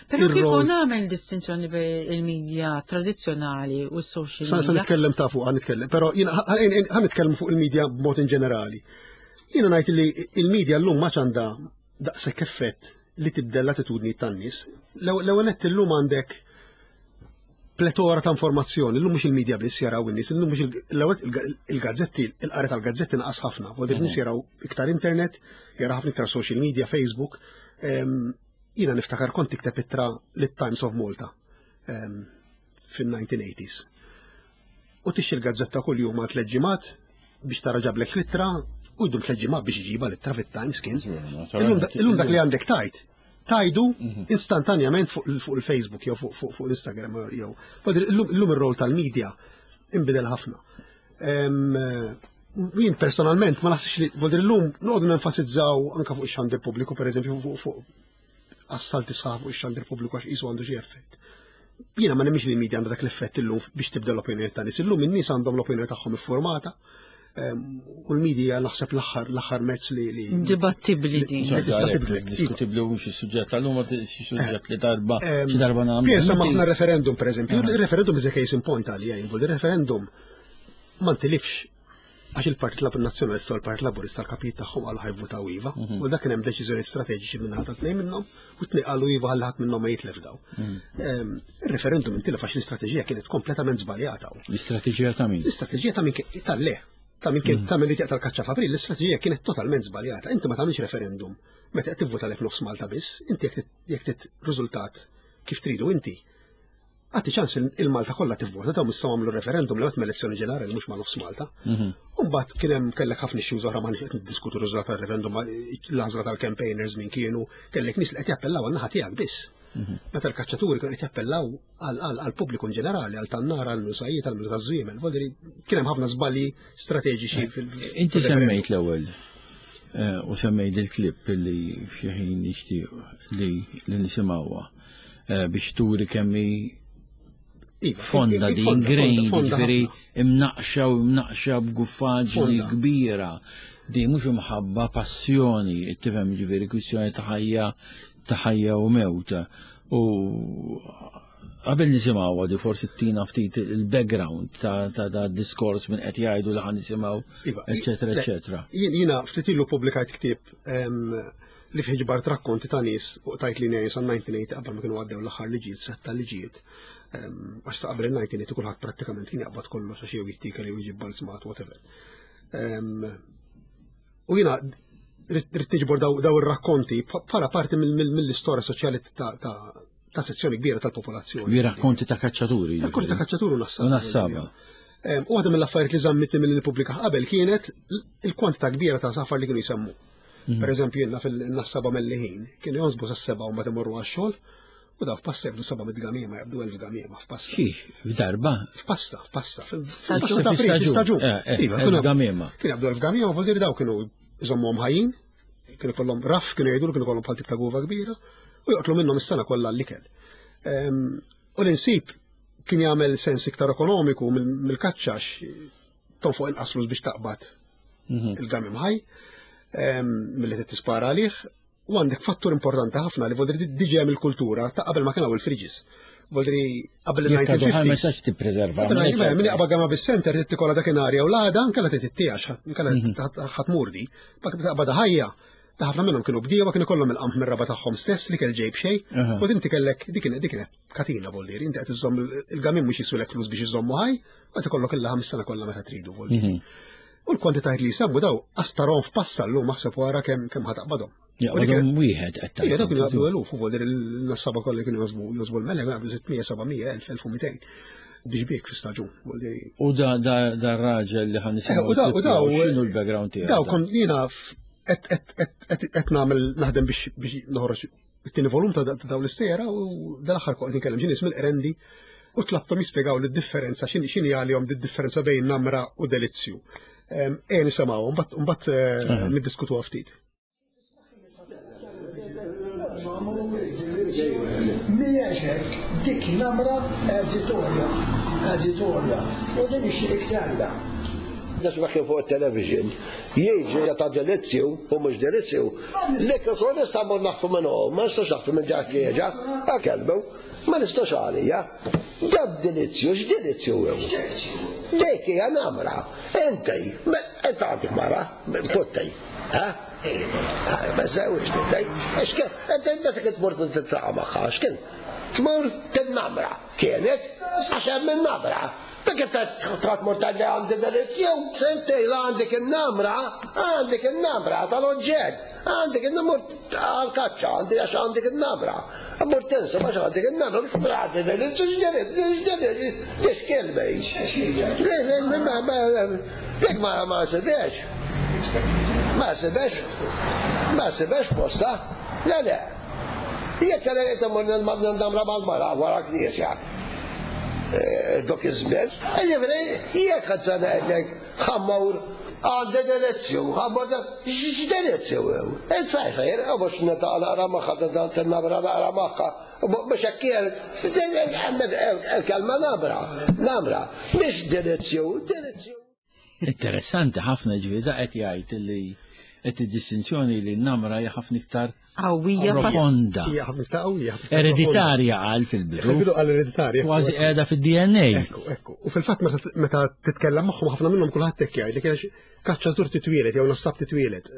Però kieku nagħmel distinzjoni bejn il-medja tradizzjonali u s-social media. Sa nitkellem ta' fuq, nitkellem, però jiena ħa nitkellem fuq il-medja b'mod in ġenerali. Jiena ngħid li il-medja llum ma għandha daqshekk effett li tibdel l-attitudni tan-nies. L-ewwel nett illum għandek Pletora ta' informazzjoni, illum mhux il-medja biss jaraw in-nies, illum mhux l-ewwel il-gazzetti, il-qari tal-gazzetti naqas ħafna, vuol nies jaraw iktar internet, jaraw ħafna iktar social media, Facebook. Jiena niftakar kont tikteb ittra lit-Times of Malta fin-1980s. U tixtri l-gazzetta kuljum għal tliet ġimgħat biex tara ġablek l-ittra u jdum tliet ġimgħat biex iġiba l-ittra fit-Times kien. Illum dak li għandek tajt, tajdu mhm. istantanjament fuq il-Facebook jew fuq Instagram jew. Illum ir-rol tal-media inbidel ħafna. Jien personalment ma naħsibx li vodir illum noqogħdu nenfasizzaw anke fuq ix-xandir pubbliku pereżempju fuq assalti sħaħ fuq ix-xandir pubbliku għax qisu għandu xi effett. Jiena ma nemmix li l-media għandha dak l-effett illum biex tibda l-opinjoni ta' nies. Illum in-nies għandhom l-opinjoni tagħhom iffurmata ehm, u l-media naħseb l-aħħar l-aħħar mezz li li Dibattibbli din. Li tista' tibdlek. Iva. Diskutibbli u xi suġġett tal-lum xi suġġett li darba ehm, xi darba nagħmlu. Pier semma ħafna referendum pereżempju. Il-referendum is a case in point għalija, il-referendum ma ntilifx Għax il-Partit Lab Nazzjonalista u l-Partit Laburista l-kapijiet tagħhom qalu ħajvutaw iva, mhm. u dak kien hemm deċiżjoni strateġiċi minn ħadd tnejn minnhom u tnejn qalu iva ħalli ħadd minnhom ma jitlef daw. Mhm. Ehm, il-referendum intilef għax l-istrateġija kienet kompletament żbaljata. L-istrateġija ta' min? L-istrateġija ta' min tal-le. Ta' min kien mhm. ta' min li taqta' l-kaċċa f'April, l-istrateġija kienet totalment żbaljata. Inti ma tagħmilx referendum meta qed tivvuta lek nofs Malta biss, inti jekk tit riżultat kif tridu inti, Għati ċans il-Malta kollha tivvota dawn issa għamlu referendum li għat elezzjoni ġenerali mhux ma' nofs Malta. Mhm. Umbagħad kien hemm kellek ħafna issues oħra ma qed niddiskutu r-riżultat tal-referendum l-għażla tal-campaigners min kienu, kellek nies li qed jappellaw għan-naħa tiegħek biss. Mhm. Meta l-kaċċaturi kienu qed jappellaw għall-pubbliku in ġenerali, għal tan-nar, għal nusajiet, għal minu taż-żwiemel. Kien hemm ħafna żbalji strateġiċi eh, fil- Inti semmejt l-ewwel eh, u semmejt il-klip li f'xi ħin nixtieq li nisimgħuha. Eh, biex turi kemmi iva, fonda di ingrained, ġifieri imnaqxa u imnaqxa b'guffaġni kbira. Di mhux imħabba passjoni, tifhem ġifieri kwistjoni ta' ħajja ta' ħajja u mewt. U qabel nisimgħu di forsi tina ftit il-background ta' ta' diskors minn qed jgħidu li ħan nisimgħu, iva, eċetera, eċetera. Jiena ftit ilu pubblikajt ktieb li fih ġbart rakkonti ta' nies u qtajt linja jien sa' 1980 qabel ma kienu għaddew l-aħħar liġijiet, sett ta' liġijiet. Ehm, għax sa qabel il-1980 kulħadd prattikament kien jaqbad kollox għax jew jittikel jew jġib balzmat, whatever. Ehm, u jiena rrid niġbor daw ir-rakkonti bħala parti mill-istorja soċjali ta' sezzjoni kbira tal-popolazzjoni. Li rakkonti ta' kaċċaturi. Rakkonti ta' kaċċaturi u nassaba. U nassaba. Ehm, u waħda mill-affarijiet li żammitni mill-pubblika qabel kienet il-kwantità kbira ta' safar li kienu jsemmu. Mhm. Per eżempju, jenna fil-nassaba melliħin, kienu jonsbu sa' seba u mbagħad imorru għax-xogħol, u daw f'passa jabdu seba' mit gamiema, jabdu elf gamiema f'passa. Kif? F'darba? F'passa, f'passa. F'passa ta' staġun. Eh, eh, iva, elf gamiema. Kienu jabdu elf gamiema, vuol dire daw kienu iżommuhom ħajjin, kienu kollhom raf, kienu jgħidu kienu kollhom bħal tip ta' guva kbira, u joqtlu minnhom is-sena kollha l-ikel. Ehm, u l-insib kien jagħmel sens iktar ekonomiku mill-kaċċax tonfoq inqas flus biex taqbad mhm. il-gamim ħaj milli tispara għalih u għandek fattur importanti ħafna li voldri diġa hemm il-kultura ta' qabel ma kien hawn il-fridges. Voldri qabel il-1950s. Ma tistax tippreserva. Min jaqba gama bis-center trid tikolla dakinhar jew l-għada nkella trid tittijax, nkella mhm. ħatmurdi. Pak taqbad ħajja ta' ħafna minnhom kienu bdiewa kienu kollhom il-qamħ mir-raba tagħhom stess li kell ġejb xejn, u din tikellek dik kienet katina voldieri, inti qed iżżomm il-gamin mhux jiswilek flus biex iżommu ħaj, u qed ikollok il-laħam is-sena kollha meta tridu voldieri. Mhm. U l-kwantitajiet li jsemmu daw astarom f'passa llum aħseb wara kemm kemm ħataqbadhom. Jaqbadhom wieħed qed tgħid. Dawk kienu jaqbdu eluf u voldieri l-nassaba kollha kienu josbu josbu l-mela kienu jaqbdu 600, 700, 1000, 1200 diġbik fi staġun. U da da da raġel li ħan nisimgħu. Eh, u da u da x'inhu l-background tiegħu? Daw kon jiena qed nagħmel naħdem biex noħroġ it-tieni volum ta' dawn l-istejjer u dal-aħħar kont nitkellem xi nies mill-Qrendi u tlabthom jispjegaw li d-differenza x'inhi għalihom di-differenza bejn namra u delizzju. Ejja nisimgħu mbagħad eh, niddiskutuha ftit. Mhijiex hekk, dik namra editorja, editorja, u din ixtieq tgħidha. Nisma' kien fuq it-television, jiġri ta' delizzju u mhux delizzju. Dik ikun nista' mmur naħtu minn hu, ma nistax naħtu minn dak li jeġa', kelbu, ma nistax għalija. Dak delizzju, x'delizzju hu? Dik hija namra. Inti, inti għandek mara, putti, ha? Ma żewġ inti. X'kien, inti meta kien tmur tiltaqa' magħha, x'kien? Tmur tinnamra. Kienet, għax hemm in-namra. Dik trid tmur tgħidli għandi delizzju, sentej la għandek in-namra, għandek in-namra tal-oġġett, għandek in-namur għal-kaċċa, għandi għax għandek in-namra. Mur tinsa għax għandek in-namra, biex tmur għandi delizzju, x'delizzju, x'delizzju, kelma Dik ma ma sibex. Ma sibex. Ma sibex posta. Le le. Jekk kellha jgħid immur nindamra mal-mara wara knisja. Eh, dok iż-żmien. Jiġifieri jekk qed se ngħidlek ħammur għandi delizzju, ħammur x'delizzju hu. Il-fejfejr, u mhux naqra magħha nabra naqra magħha. Mhux hekk il-kelma nabra, nabra, mhix delizzju, delizzju. Interessanti ħafna ġifieri da qed jgħid li qed id-distinzjoni li n-namra hija ħafna iktar qawwija profonda. Hija ħafna iktar qawwija. Ereditarja qal fil-bidu. Fil-bidu qal ereditarja. Kważi qiegħda fid-DNA. Ekku, ekku. U fil-fatt meta titkellem magħhom ħafna minnhom kulħadd hekk jgħid li kien kaċċatur titwielet jew nassab titwielet.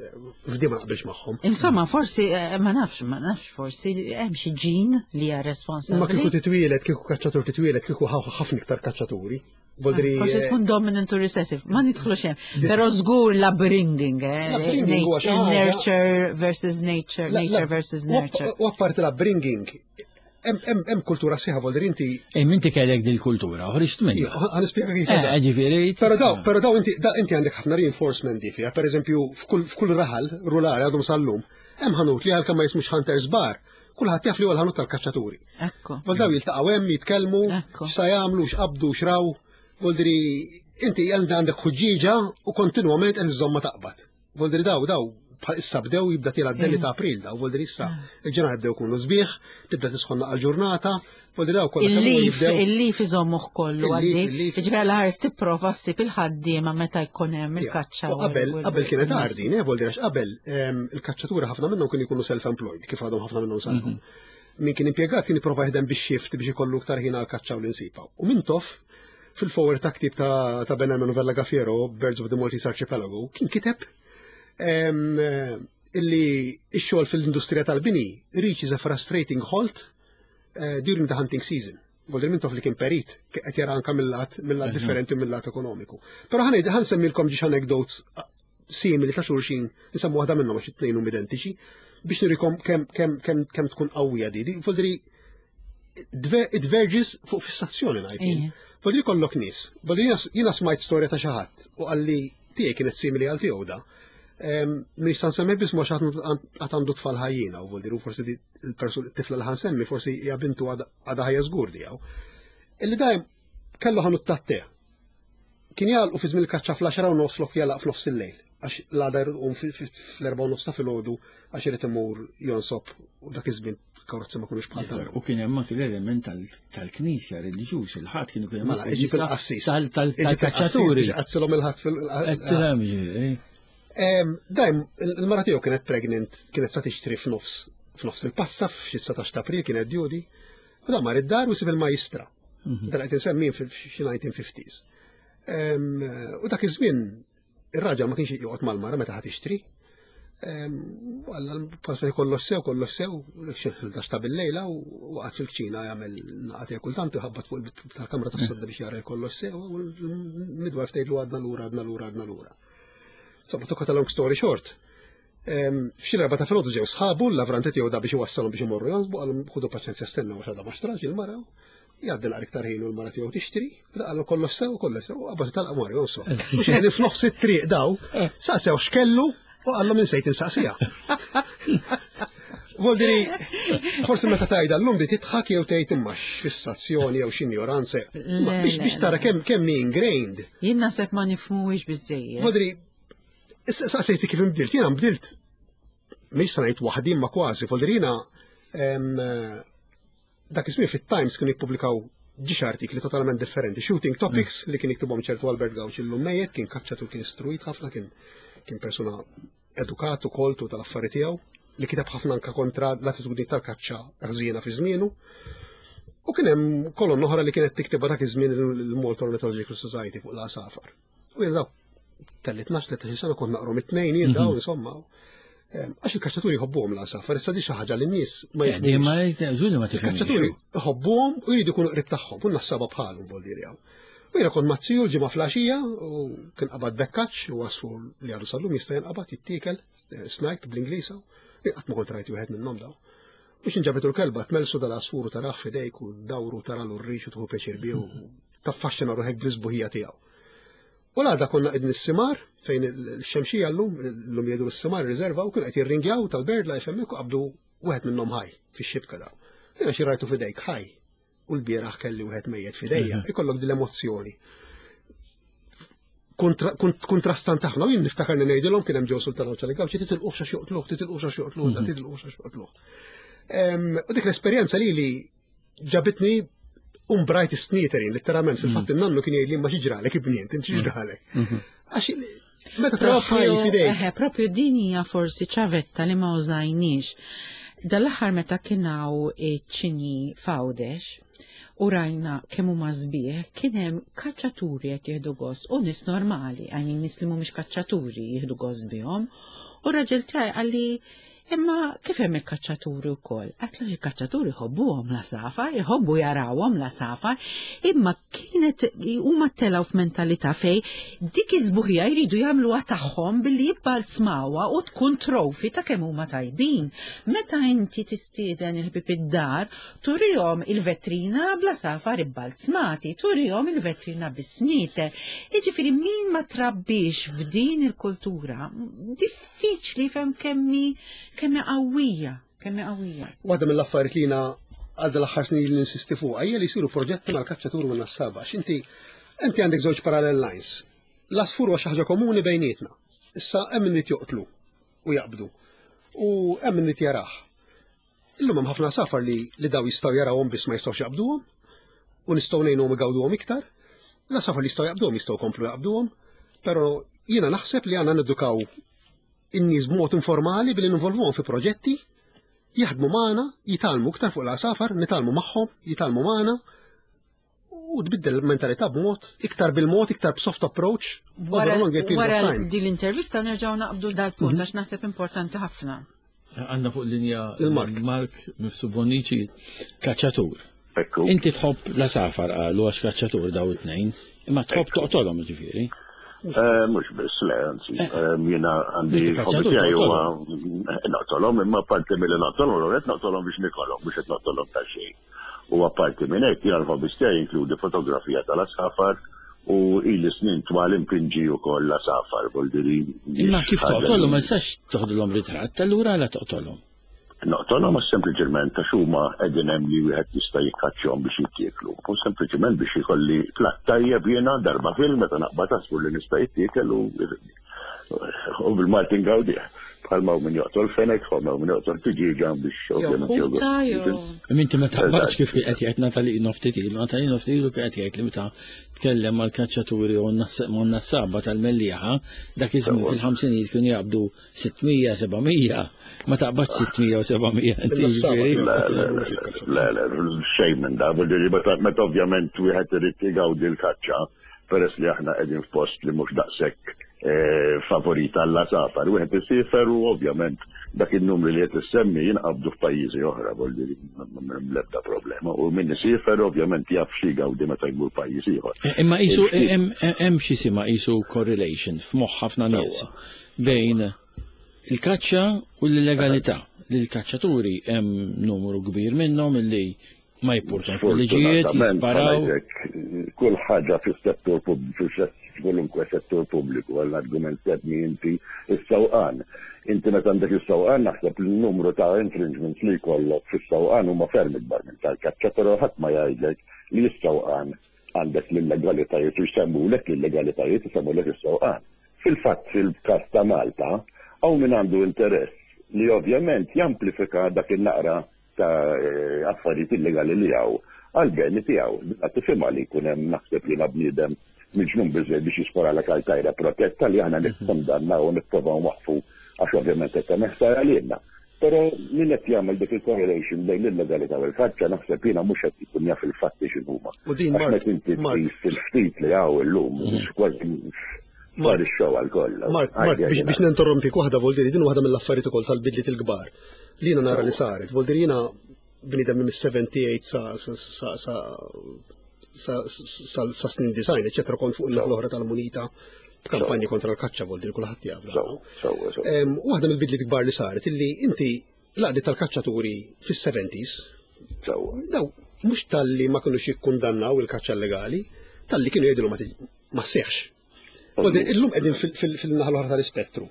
F'di ma naqbilx magħhom. Insomma, forsi eh, ma nafx, ma nafx, forsi hemm xi ġin li hija responsabbli. Ma kieku titwielet, kieku kaċċatur titwielet, kieku ħafna iktar kaċċaturi. Voldri. Forsi eh, tkun dominant u recessive, ma nidħlu xem. Però żgur l-upbringing, eh? Nurture versus nature, nature versus nurture. U apparti l-upbringing, hemm kultura sħiħa voldri inti. Ej, inti kellek dil-kultura, ħriġt minna. Ħa nispjega kif. Eh, ġifieri. Però daw, però daw inti inti għandek ħafna reinforcement di fiha, pereżempju f'kull raħal rurali għadhom sal-lum, hemm ħanut li għalkemm ma jismux Hunters Bar, kulħadd jaf li huwa l-ħanut tal-kaċċaturi. Ekku. Vol daw jiltaqgħu hemm jitkellmu, x'sa jagħmlu, x'qabdu, x'raw. Voldri inti għandek ħuġġieġa u kontinwament qed iżomma taqbad. Voldri daw daw bħal issa bdew jibda tiela d-delli ta' April daw, voldri issa ah. il-ġenar bdew kunu sbieħ, tibda tisħonna għal-ġurnata, voldri daw kollha Il-lif, il-lif iżommuh kollu għaddi. Ġifieri għal ħares tipprova ssib il-ħaddiema meta jkun hemm il-kaċċa. Qabel qabel kienet għardin, eh, voldri għax qabel ehm, il-kaċċatura ħafna minnhom kienu jkunu self-employed, kif għadhom ħafna minnhom sal-lum. Mhm. Min kien impjegat kien jipprova jaħdem bix-shift biex ikollu iktar ħin għall-kaċċa u l-insiba. U Mintoff fil-forward ta' ktieb ta', ta' Ben Herman u Vella Gaffiero, Birds of the Maltese Archipelago, kien kiteb illi x-xogħol fil-industrija tal-bini reaches a frustrating halt eh, during the hunting season. Voldri Mintoff li kien perit, qed jara anka mill-lat mill-lat mhm. differenti mill-lat ekonomiku. Però ħanejd ħansemmilkom ġiex anecdotes simili ta' xulxin, nsemmu waħda minnhom għax it-tnejn huma identiċi, biex nurikom kemm kemm kemm kemm tkun qawwija di. Voldri it verges fuq fissazzjoni ngħid. Voldri kollok nies. Voldri jiena smajt storja ta' xi ħadd u qalli tiegħi kienet simili għal tiegħu da. Nista' nsemmi biss ma xi ħadd għandu tfal ħajjina u voldri u forsi il-persuna tifla li ħansemmi forsi hija bintu għadha ħajja żgur tiegħu. Illi dajjem kellu ħanut tat-te Kien jagħlqu fi żmien il-kaċċa fl-għaxra u nofs flok jagħlaq f'nofs il-lejl għax l-għada jrid iqum fl-erbgħa u nofs ta' filgħodu għax irid imur jonsob u dak iż-żmien karozzi ma kinux bħal tal U kien hemm anki l-element tal-knisja reliġjuż, il-ħadd kienu kien hemm Mela, iġib il-qassis. Tal-kaċċaturi. Qazzilhom il-ħadd fil- Dajm, il-mara tiegħu kienet pregnant, kienet sa tixtri f'nofs f'nofs il-passa f'xi 19 ta' April kienet djudi, u dan mar id-dar u sib il-majstra. Mhm. Dan qed insemmi f'xi 1950s. U dak iż-żmien ir-raġel ma kienx joqgħod mal-mara meta ħa tixtri. Għalla l-pasma kollox sew, kollox sew, xi 11 ta' bil-lejla u waqgħad fil-kċina jagħmel naqat kultant ħabbat fuq tal-kamra tas-sodda biex jara kollox sew u l-midwife tgħidlu għadna lura, għadna lura, għadna lura. Insomma, to cut a long story short, F'xi l-erbgħa ta' filgħodu ġew sħabu l-lavranti tiegħu da biex iwassalhom biex imorru jonsbu qalhom ħudu paċenzja stennew għax għadha ma xtrax il-mara. Jgħaddi naqra iktar ħin u l-mara tiegħu tixtri, qalhom kollox sew, kollox sew, qabad talqa mar jonsob. U xi ħin f'nofs it-triq daw, saqsew x'kellu u qallhom insejt insaqsiha. Voldiri, forsi meta tajda l-lum di titħak jew tgħid imma x'fissazzjoni jew x'injoranza. Biex tara kemm kemm ingrained. Jien naħseb ma nifhmuhiex biżejjed. Voldiri, Issa saqsejti kif inbdilt, jiena nbdilt mhix se ngħid waħdi imma kważi, voldiri jiena dak iż-żmien fit-Times kienu jippubblikaw ġiex artikli totalment differenti, shooting topics mm. li kien jiktibhom ċertu Albert Gawċ illum mejjet, kien kaċċatur kien istruit ħafna, kien kien persuna edukat u koltu tal-affari tiegħu li kiteb ħafna anka kontra l-attitudni tal-kaċċa ħżiena fi żmienu. U kien hemm kolonna oħra li kienet tiktibha dak iż-żmien il-Malta Ornithological Society fuq l-għasafar. U jien daw kelli 12-13 sena kont naqrom it-tnejn jien daw mhm. insomma. Għax il-kaċċaturi jħobbuhom l-għasafar, issa di xi ħaġa li n-nies ma eh, jifhmux. Ma żuri ma Il-kaċċaturi jħobbuhom u jridu jkunu qrib tagħhom, u nassaba bħalhom vol hawn. U jiena kont mazziju l-ġimgħa flaxija u kien qabad bekkaċ u għasfur li għadu sallum jista' jinqabad jittiekel eh, snipe bl-Ingliż qatt ma kont rajt wieħed minnhom daw. Biex inġabitu l-kelba tmelsu dal-għasfur u tarah f'idejk u dawru taralu r-rix u tieħu pjaċir bih u taffaxxina ruħek bl-isbuħija tiegħu. U l-għada konna qegħdin is-simar fejn il-xemxija llum, llum jgħidu s-simar riserva u kienu qed jirringjaw tal-bird life hemmhekk u qabdu wieħed minnhom ħaj fix-xibka daw. Jiena xi rajtu f'idejk ħaj u l-bieraħ kelli wieħed mejjet f'idejja, mhm. ikollok din l-emozzjoni. Kontrastant ħafna, u jien niftakar li ngħidilhom kien hemm ġew Sultan Ċali Gawċi titilquh xax joqtluh, titilquh xax joqtluh, mhm. titilquh xax joqtluh. U dik l-esperjenza li li ġabitni umbrajt is-sniterin, letteralment, fil-fatt mm. in-nannu kien jgħidli ma xiġralek ibnient, inti xiġralek. Mm-hmm. Għax meta tara fidejk. Propju din hija forsi ċavetta li ma użajniex. Dal-aħħar meta kien hawn ċini f'Għawdex u rajna kemm huma sbieħ, kien hemm kaċċaturi qed jieħdu gost u nies normali, għajni nies li mhumiex kaċċaturi jieħdu gost bihom. U raġel tiegħi qalli Imma kif hemm il-kaċċaturi wkoll? Għatlu il-kaċċaturi jħobbuhom l-għasafar, jħobbu jarawhom l-għasafar, imma kienet huma telgħu f'mentalità fej dik iż-żbuħija jridu jagħmluha tagħhom billi jibbalzmawha u tkun trofi ta' kemm huma tajbin. Meta inti tistieden il-ħbieb id-dar, turihom il-vetrina bl-għasafar ibbalzmati, turihom il-vetrina bis-snieter. Jiġifieri min ma trabbiex f'din il-kultura, diffiċli fem kemmi kemmi qawwija, kemmi qawwija. Waħda mill-affarijiet li jiena għal dal-aħħar snin li ninsisti fuqha hija li jsiru proġetti mal-kaċċatur u n-nassaba. X'inti inti għandek żewġ parallel lines. L-asfur huwa xi ħaġa komuni bejnietna. Issa hemm min joqtlu u jaqbdu u hemm min jarah. Illum hemm ħafna safar li li daw jistgħu jarawhom biss ma jistgħux jaqbduhom u nistgħu ngħinuhom igawduhom iktar. La safar li jistgħu jaqbduhom jistgħu jkomplu jaqbduhom, però jiena naħseb li għandna nedukaw in-nies b'mod informali billi ninvolvuhom fi proġetti jaħdmu magħna, jitgħallmu iktar fuq l-għasafar, nitgħallmu magħhom, jitgħallmu magħna u tbiddel il-mentalità b'mod iktar bil-mod, iktar b'soft approach over a longer period of time. Wara din l-intervista nerġgħu naqbdu dal-punt mhm. għax naħseb importanti ħafna. Għandna fuq linja Mark Mark Mifsu Bonici, kaċċatur. Inti tħobb la safar qalu għax kaċċatur daw it-tnejn, imma tħobb toqtolhom ġifieri. Eh, mhux biss, le, anzi, eh. eh, jiena għandi hobby tiegħi huwa naqtolhom, imma parti milli naqtolhom, qed naqtolhom biex nikolhom, mhux qed naqtolhom ta' xejn. U apparti minn hekk, jiena l-hobbies tiegħi jinkludi fotografija tal-għasafar u ili snin twal inpinġi wkoll l-għasafar, vuol dire. Imma kif toqtolhom ma tistax toħdilhom ritratt, allura għala toqtolhom? Noqtolhom għax sempliċement għax huma qegħdin hemm li wieħed jista' jikkaċċjahom biex jittieklu. U sempliċement biex ikolli platt tajjeb jiena darba fil meta naqbad għasfur li nista' jittiekel u U bil-Malti ngawdih. Bħalma hawn min joqtol fenek, bħalma hawn min joqtol tiġieġa biex ovvjament jew. Inti ma taqbadx kif kien qed jgħid Natali ftit ilu, Natali ftit ilu kien qed jgħid li meta tkellem mal-kaċċaturi u n-nassaba tal-Mellieħa, dak iż-żmien fil-ħamsinijiet kienu jaqbdu 600, 700, ma taqbadx 600 u 700 inti jiġifieri. Le, le, xejn minn da, meta ovvjament wieħed irid igawdi l-kaċċa peress li aħna qegħdin f'post li mhux daqshekk eh, favorit għall-għasafar. Wieħed isiefer u ovvjament dak in-numri li qed issemmi jinqabdu f'pajjiżi oħra volli l-ebda problema. U min isiefer ovvjament jaf xi gawdi meta jmur pajjiż ieħor. Eh, imma qisu hemm xi sima qisu correlation f'moħħ ħafna nies bejn il-kaċċa u l-illegalità. Li l-kaċċaturi hemm numru kbir minnhom illi Ma jippurtax fuq liġijiet, jisparaw. Kull ħaġa fis-settur pubbliku, kwalunkwe settur pubbliku, għall-argument semmi inti is-sewqan. Inti meta għandek is-sewqan naħseb li n-numru ta' infringements li jkollok fis-sewqan huma ferm ikbar minn tal-kaċċa, però ħadd ma jgħidlek li s-sewqan għandek l-illegalitajiet u jsemmulek l-illegalitajiet, isemmulek is-sewqan. Fil-fatt fil-każ ta' Malta, hawn min għandu interess li ovvjament jamplifika dak in-naqra ta' affarijiet illegali li hawn għall-beni tiegħu. Dina tifhimha li jkun hemm naħseb jiena bniedem miġnun biżżejjed biex jisparalek għal tajra protetta li aħna nikkundannaw u nipprovaw nwaqqfu għax ovvjament qed tagħmel ħsara lilna. Però min qed jagħmel dik il-correlation bejn l-illegalità u l-kaċċa naħseb jiena mhux qed ikun jaf il-fatti x'inhuma. U din Għax meta inti tqis il-ftit li hawn illum, kważi. Sparixxew għal kollox. Mark, Mark, biex ninterrompik waħda Voldiri, din waħda mill-affarijiet ukoll tal-bidliet il-kbar li jiena nara li saret. Voldiri jiena bniedem minn 78 sa sa sa sa sa snin design, eċetera, kont fuq il-naħa l-oħra tal-munita b'kampanji kontra l-kaċċa Voldiri kulħadd jaf. Waħda mill-bidliet kbar li saret illi inti l-għaqdiet tal-kaċċaturi fis-70s daw mhux talli ma kinux jikkundannaw il-kaċċa illegali, talli kienu jgħidu ma sseħħx. Illum qegħdin fil-naħa l-oħra tal-ispettru.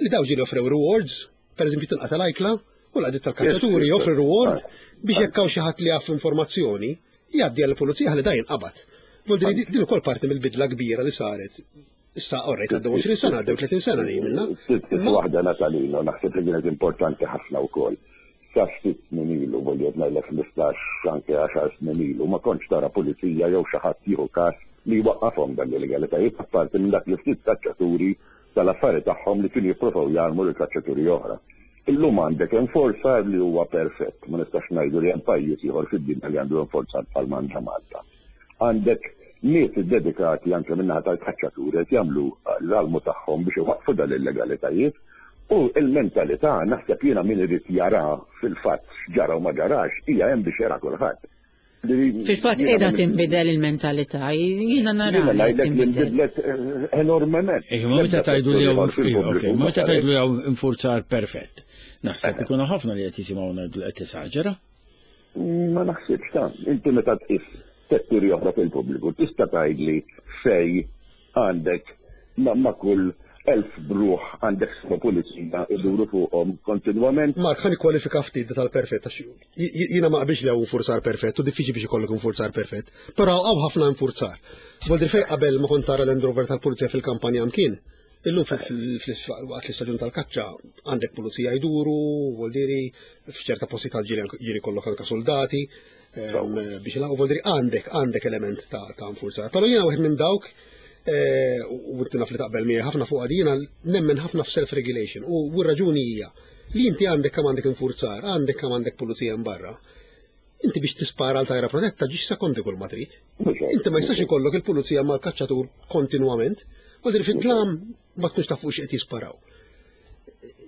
Li daw ġieli offrew rewards, per eżempju tinqata' l-ajkla, u l-għaqdiet tal-kaċċaturi joffri reward biex jekk hawn xi ħadd li jaf informazzjoni, jgħaddi għall-pulizija ħalli da jinqabad. Vuol dire din ukoll parti mill-bidla kbira li saret. Issa orrejt għaddew 20 sena, għaddew 30 sena li minna. Waħda Natalino, naħseb li kienet importanti ħafna wkoll. Sa ftit snin ilu, voglio ngħidlek 15 anke 10 snin ilu, ma kontx tara pulizija jew xi ħadd jieħu każ li jwaqqafhom dan l-illegalitajiet apparti minn dak li ftit kaċċaturi tal-affari tagħhom li kienu jipprovaw jgħallmu lil kaċċaturi oħra. Illum għandek enforzar li huwa perfett, ma nistax ngħidu li hemm pajjiż ieħor fid-dinja li għandu enforzar bħal m'għandha Malta. Għandek nies iddedikati anke min-naħa tal-kaċċaturi qed jagħmlu l-almu tagħhom biex iwaqqfu dal-illegalitajiet u l-mentalità naħseb jiena min irid jara fil-fatt x'ġara u ma ġarax hija hemm biex jara kulħadd. Fil-fatt qiegħda tinbidel il-mentalità, jiena nara li qed tinbidel. Inbidlet eh, enormement. Eh, ma meta tgħidu li hawn meta tgħidu li hawn infurzar perfett. Naħseb eh. ikunu ħafna li qed jisimgħu ngħidu qed tesaġera. Ma naħsibx ta' inti meta tqis setturi oħra fil-pubbliku tista' tgħidli fej għandek ma' kull 1000 bruħ għandek seba' pulizija iduru fuqhom kontinwament. Mark, ħa nikkwalifika ftit tal-perfett għax jiena ma qbilx li hawn infurzar perfett u diffiċli biex ikollok infurzar perfett, però hawn ħafna infurzar. Vuol dire fejn qabel ma kont tara Land Rover tal-pulizija fil-kampanja mkien, illum waqt l-istaġun tal-kaċċa għandek pulizija jduru, vuol dire f'ċerta postijiet tal-ġiri jkollok anke soldati. Biex il vuol dire għandek għandek element ta' ta' nfurzar. Però jiena wieħed minn dawk eh, u inti naf li taqbel miegħi ħafna fuq jiena nemmen ħafna f'self-regulation u r-raġuni hija li inti għandek kemm għandek infurzar, għandek kemm għandek pulizija barra. Inti biex tispara għal tajra protetta ġiex sekondi kull ma trid. Inti ma jistax ikollok il-pulizija mal-kaċċatur kontinwament, u dir fid-dlam ma tkunx taf fuq x'qed jisparaw.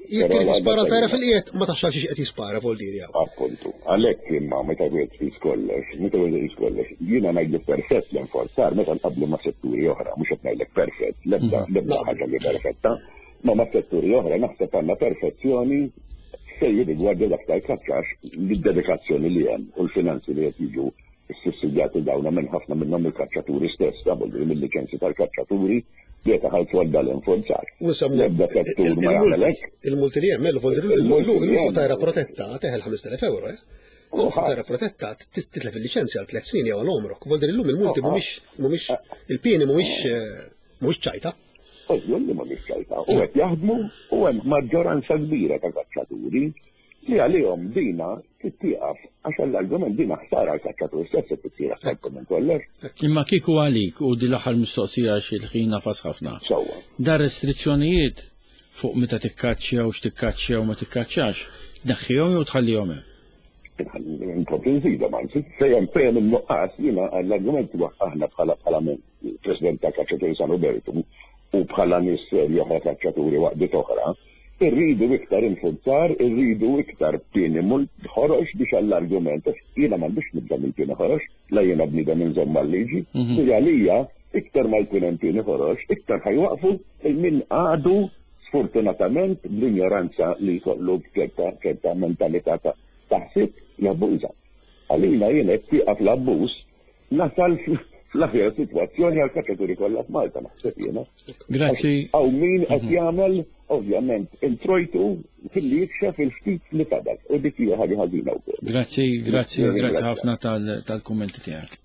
Jekk irid jispara tajra fil-qiegħed ma tafx għal xiex qed jispara vol diri hawn. Appuntu. Għalhekk imma meta wieħed tqis kollox, meta wieħed iqis kollox, jiena ngħidlek perfett l-enforzar meta nqabblu ma' setturi oħra, mhux qed ngħidlek perfett, l-ebda mhm. l-ebda ħaġa li perfetta, ma ma' setturi oħra naħseb għandna perfezzjoni fejn jirrigwarda dak tal-kaċċax l-dedikazzjoni li hemm u l-finanzi li qed jiġu ssussidjati dawna minn ħafna minnhom il-kaċċaturi stess, mill-liċenzji tal-kaċċaturi li qed iħallsu għal dal-infurzar. L-ebda settur ma jagħmel hekk. Il-multi li hemm, il-fuq tajra protetta teħel 5000 euro, eh? Fuq tajra protetta titlef il-liċenzja għal tliet snin jew għal għomrok. Vol illum il-multi mhumiex mhumiex il-pieni mhumiex eh, mhumiex ċajta. Ovvju li mhumiex ċajta. U qed jaħdmu u hemm maġġoranza kbira ta' kaċċaturi li għalihom dina trid tieqaf għax għall-argument dina ħsara għall-kaċċatur stess qed issir aktar minn kollox. Imma kieku għalik u din l-aħħar mistoqsija għax il-ħin nafas ħafna. Sewwa. Dar restrizzjonijiet fuq meta tikkaċċja u x'tikkaċċja u ma tikkaċċjax, tneħħihom jew tħallihom hemm? Nkompli nżidhom anzi, fejn fejn in-nuqqas jiena l-argument huwa aħna bħala bħala President ta' Kaċċaturi San Robertu u bħala nies serji oħra kaċċaturi waqdiet oħra, Irridu iktar infurzar, irridu iktar pieni ħorox biex għall-argument, għax jiena m'għandix nibda mill-pieni ħorox, la jiena bniedem inżomm mal-liġi, mhm. li għalija iktar ma jkun hemm pieni ħorox, iktar ħajwaqfu min għadu sfortunatament bl-injoranza li jkollu b'ċerta ċerta mentalità ta' taħsib jabbuża. Għalina jien qed tieqaf l-abbuż Nasal fl-aħjar sitwazzjoni għal kaċċaturi kollha f'Malta naħseb jiena. Grazzi. Hawn min qed mhm. jagħmel ovvjament introjtu filli jikxef il-ftit li fadal u dik hija ħaġa ħażina wkoll. Grazzi, grazzi, grazzi ħafna tal-kummenti tiegħek.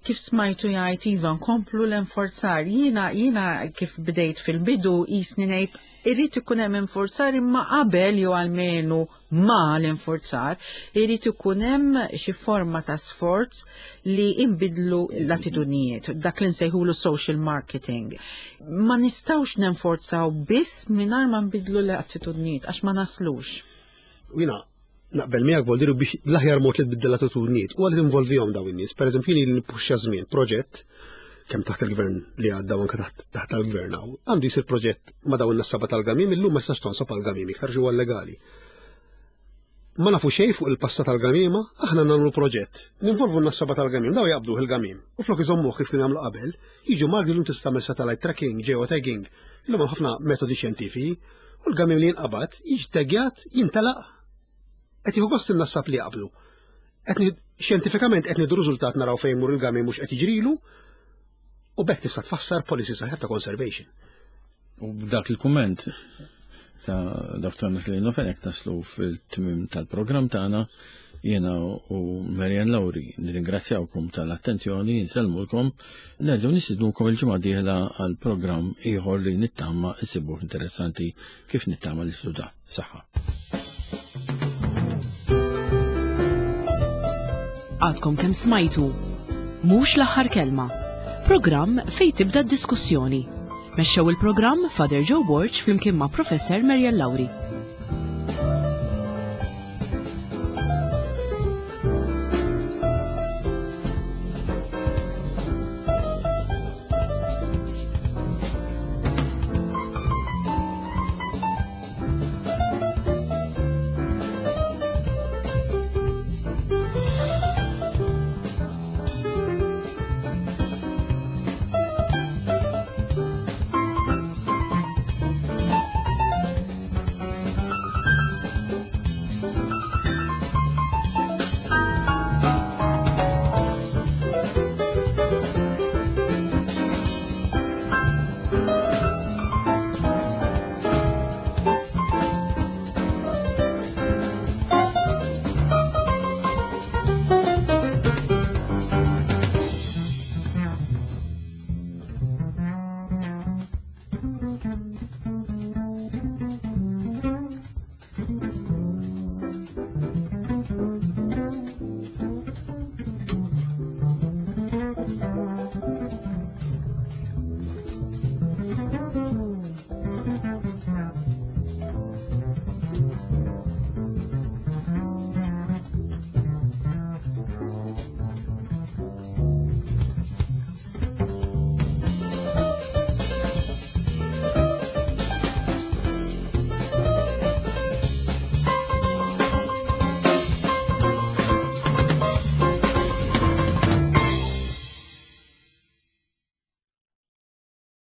Kif smajtu jgħid Iva nkomplu l-enforzar. Jiena jiena kif bdejt fil-bidu jisni ngħid irrid ikun hemm enforzar imma qabel jew almenu ma' l-infurzar, irid ikun hemm xi forma ta' sforz li inbidlu l-attitudnijiet, dak li nsejħulu social marketing. Ma nistgħux nenforzaw biss mingħajr ma nbidlu l-attitudnijiet għax ma naslux. Jina, naqbel miegħek voldiru biex l-aħjar mod li tbiddel l-attitudnijiet u għal involvihom dawn in-nies. Pereżempju jien nippuxxa żmien proġett kemm taħt il-gvern li għadda u anke taħt taħt tal-gvern hawn, għandu jsir proġett ma' dawn in-nassaba tal-gamim illum ma tistax tonsob għall-gamim iktar ġewwa legali. Ma nafu xejn fuq il-passat tal-gamima, aħna nagħmlu proġett. Ninvolvu n-nassaba tal-gamim, daw jaqbduh il-gamim. U flok iżommuh kif kienu jagħmlu qabel, jiġu marki llum tista' tagħmel satellite tracking, geotagging, illum hemm ħafna metodi xjentifiċi, u l-gamim li jinqabad jiġi taggjat, jintelaq, qed jieħu gost in-nassab li jaqbdu. Qed xjentifikament qed nieħdu riżultat naraw fejn mur il-gamim mhux qed jiġrilu, u b'hekk tista' tfassar policy saħħar ta' conservation. U b'dak il-kumment ta' Dr. Natalino Fenech naslu fil-tmim tal-programm tagħna jiena u Marian Lauri nirringrazzjawkom tal-attenzjoni, nsellmulkom, nerġgħu nistidnukom il-ġimgħa dieħla għal programm ieħor li nittama issibuh interessanti kif nittama li da. Saħħa. Għadkom kemm smajtu. Mhux l-aħħar kelma. Programm fejn tibda d-diskussjoni. Mexxew il-programm Father Joe Borg flimkien ma' Professor Marian Lauri.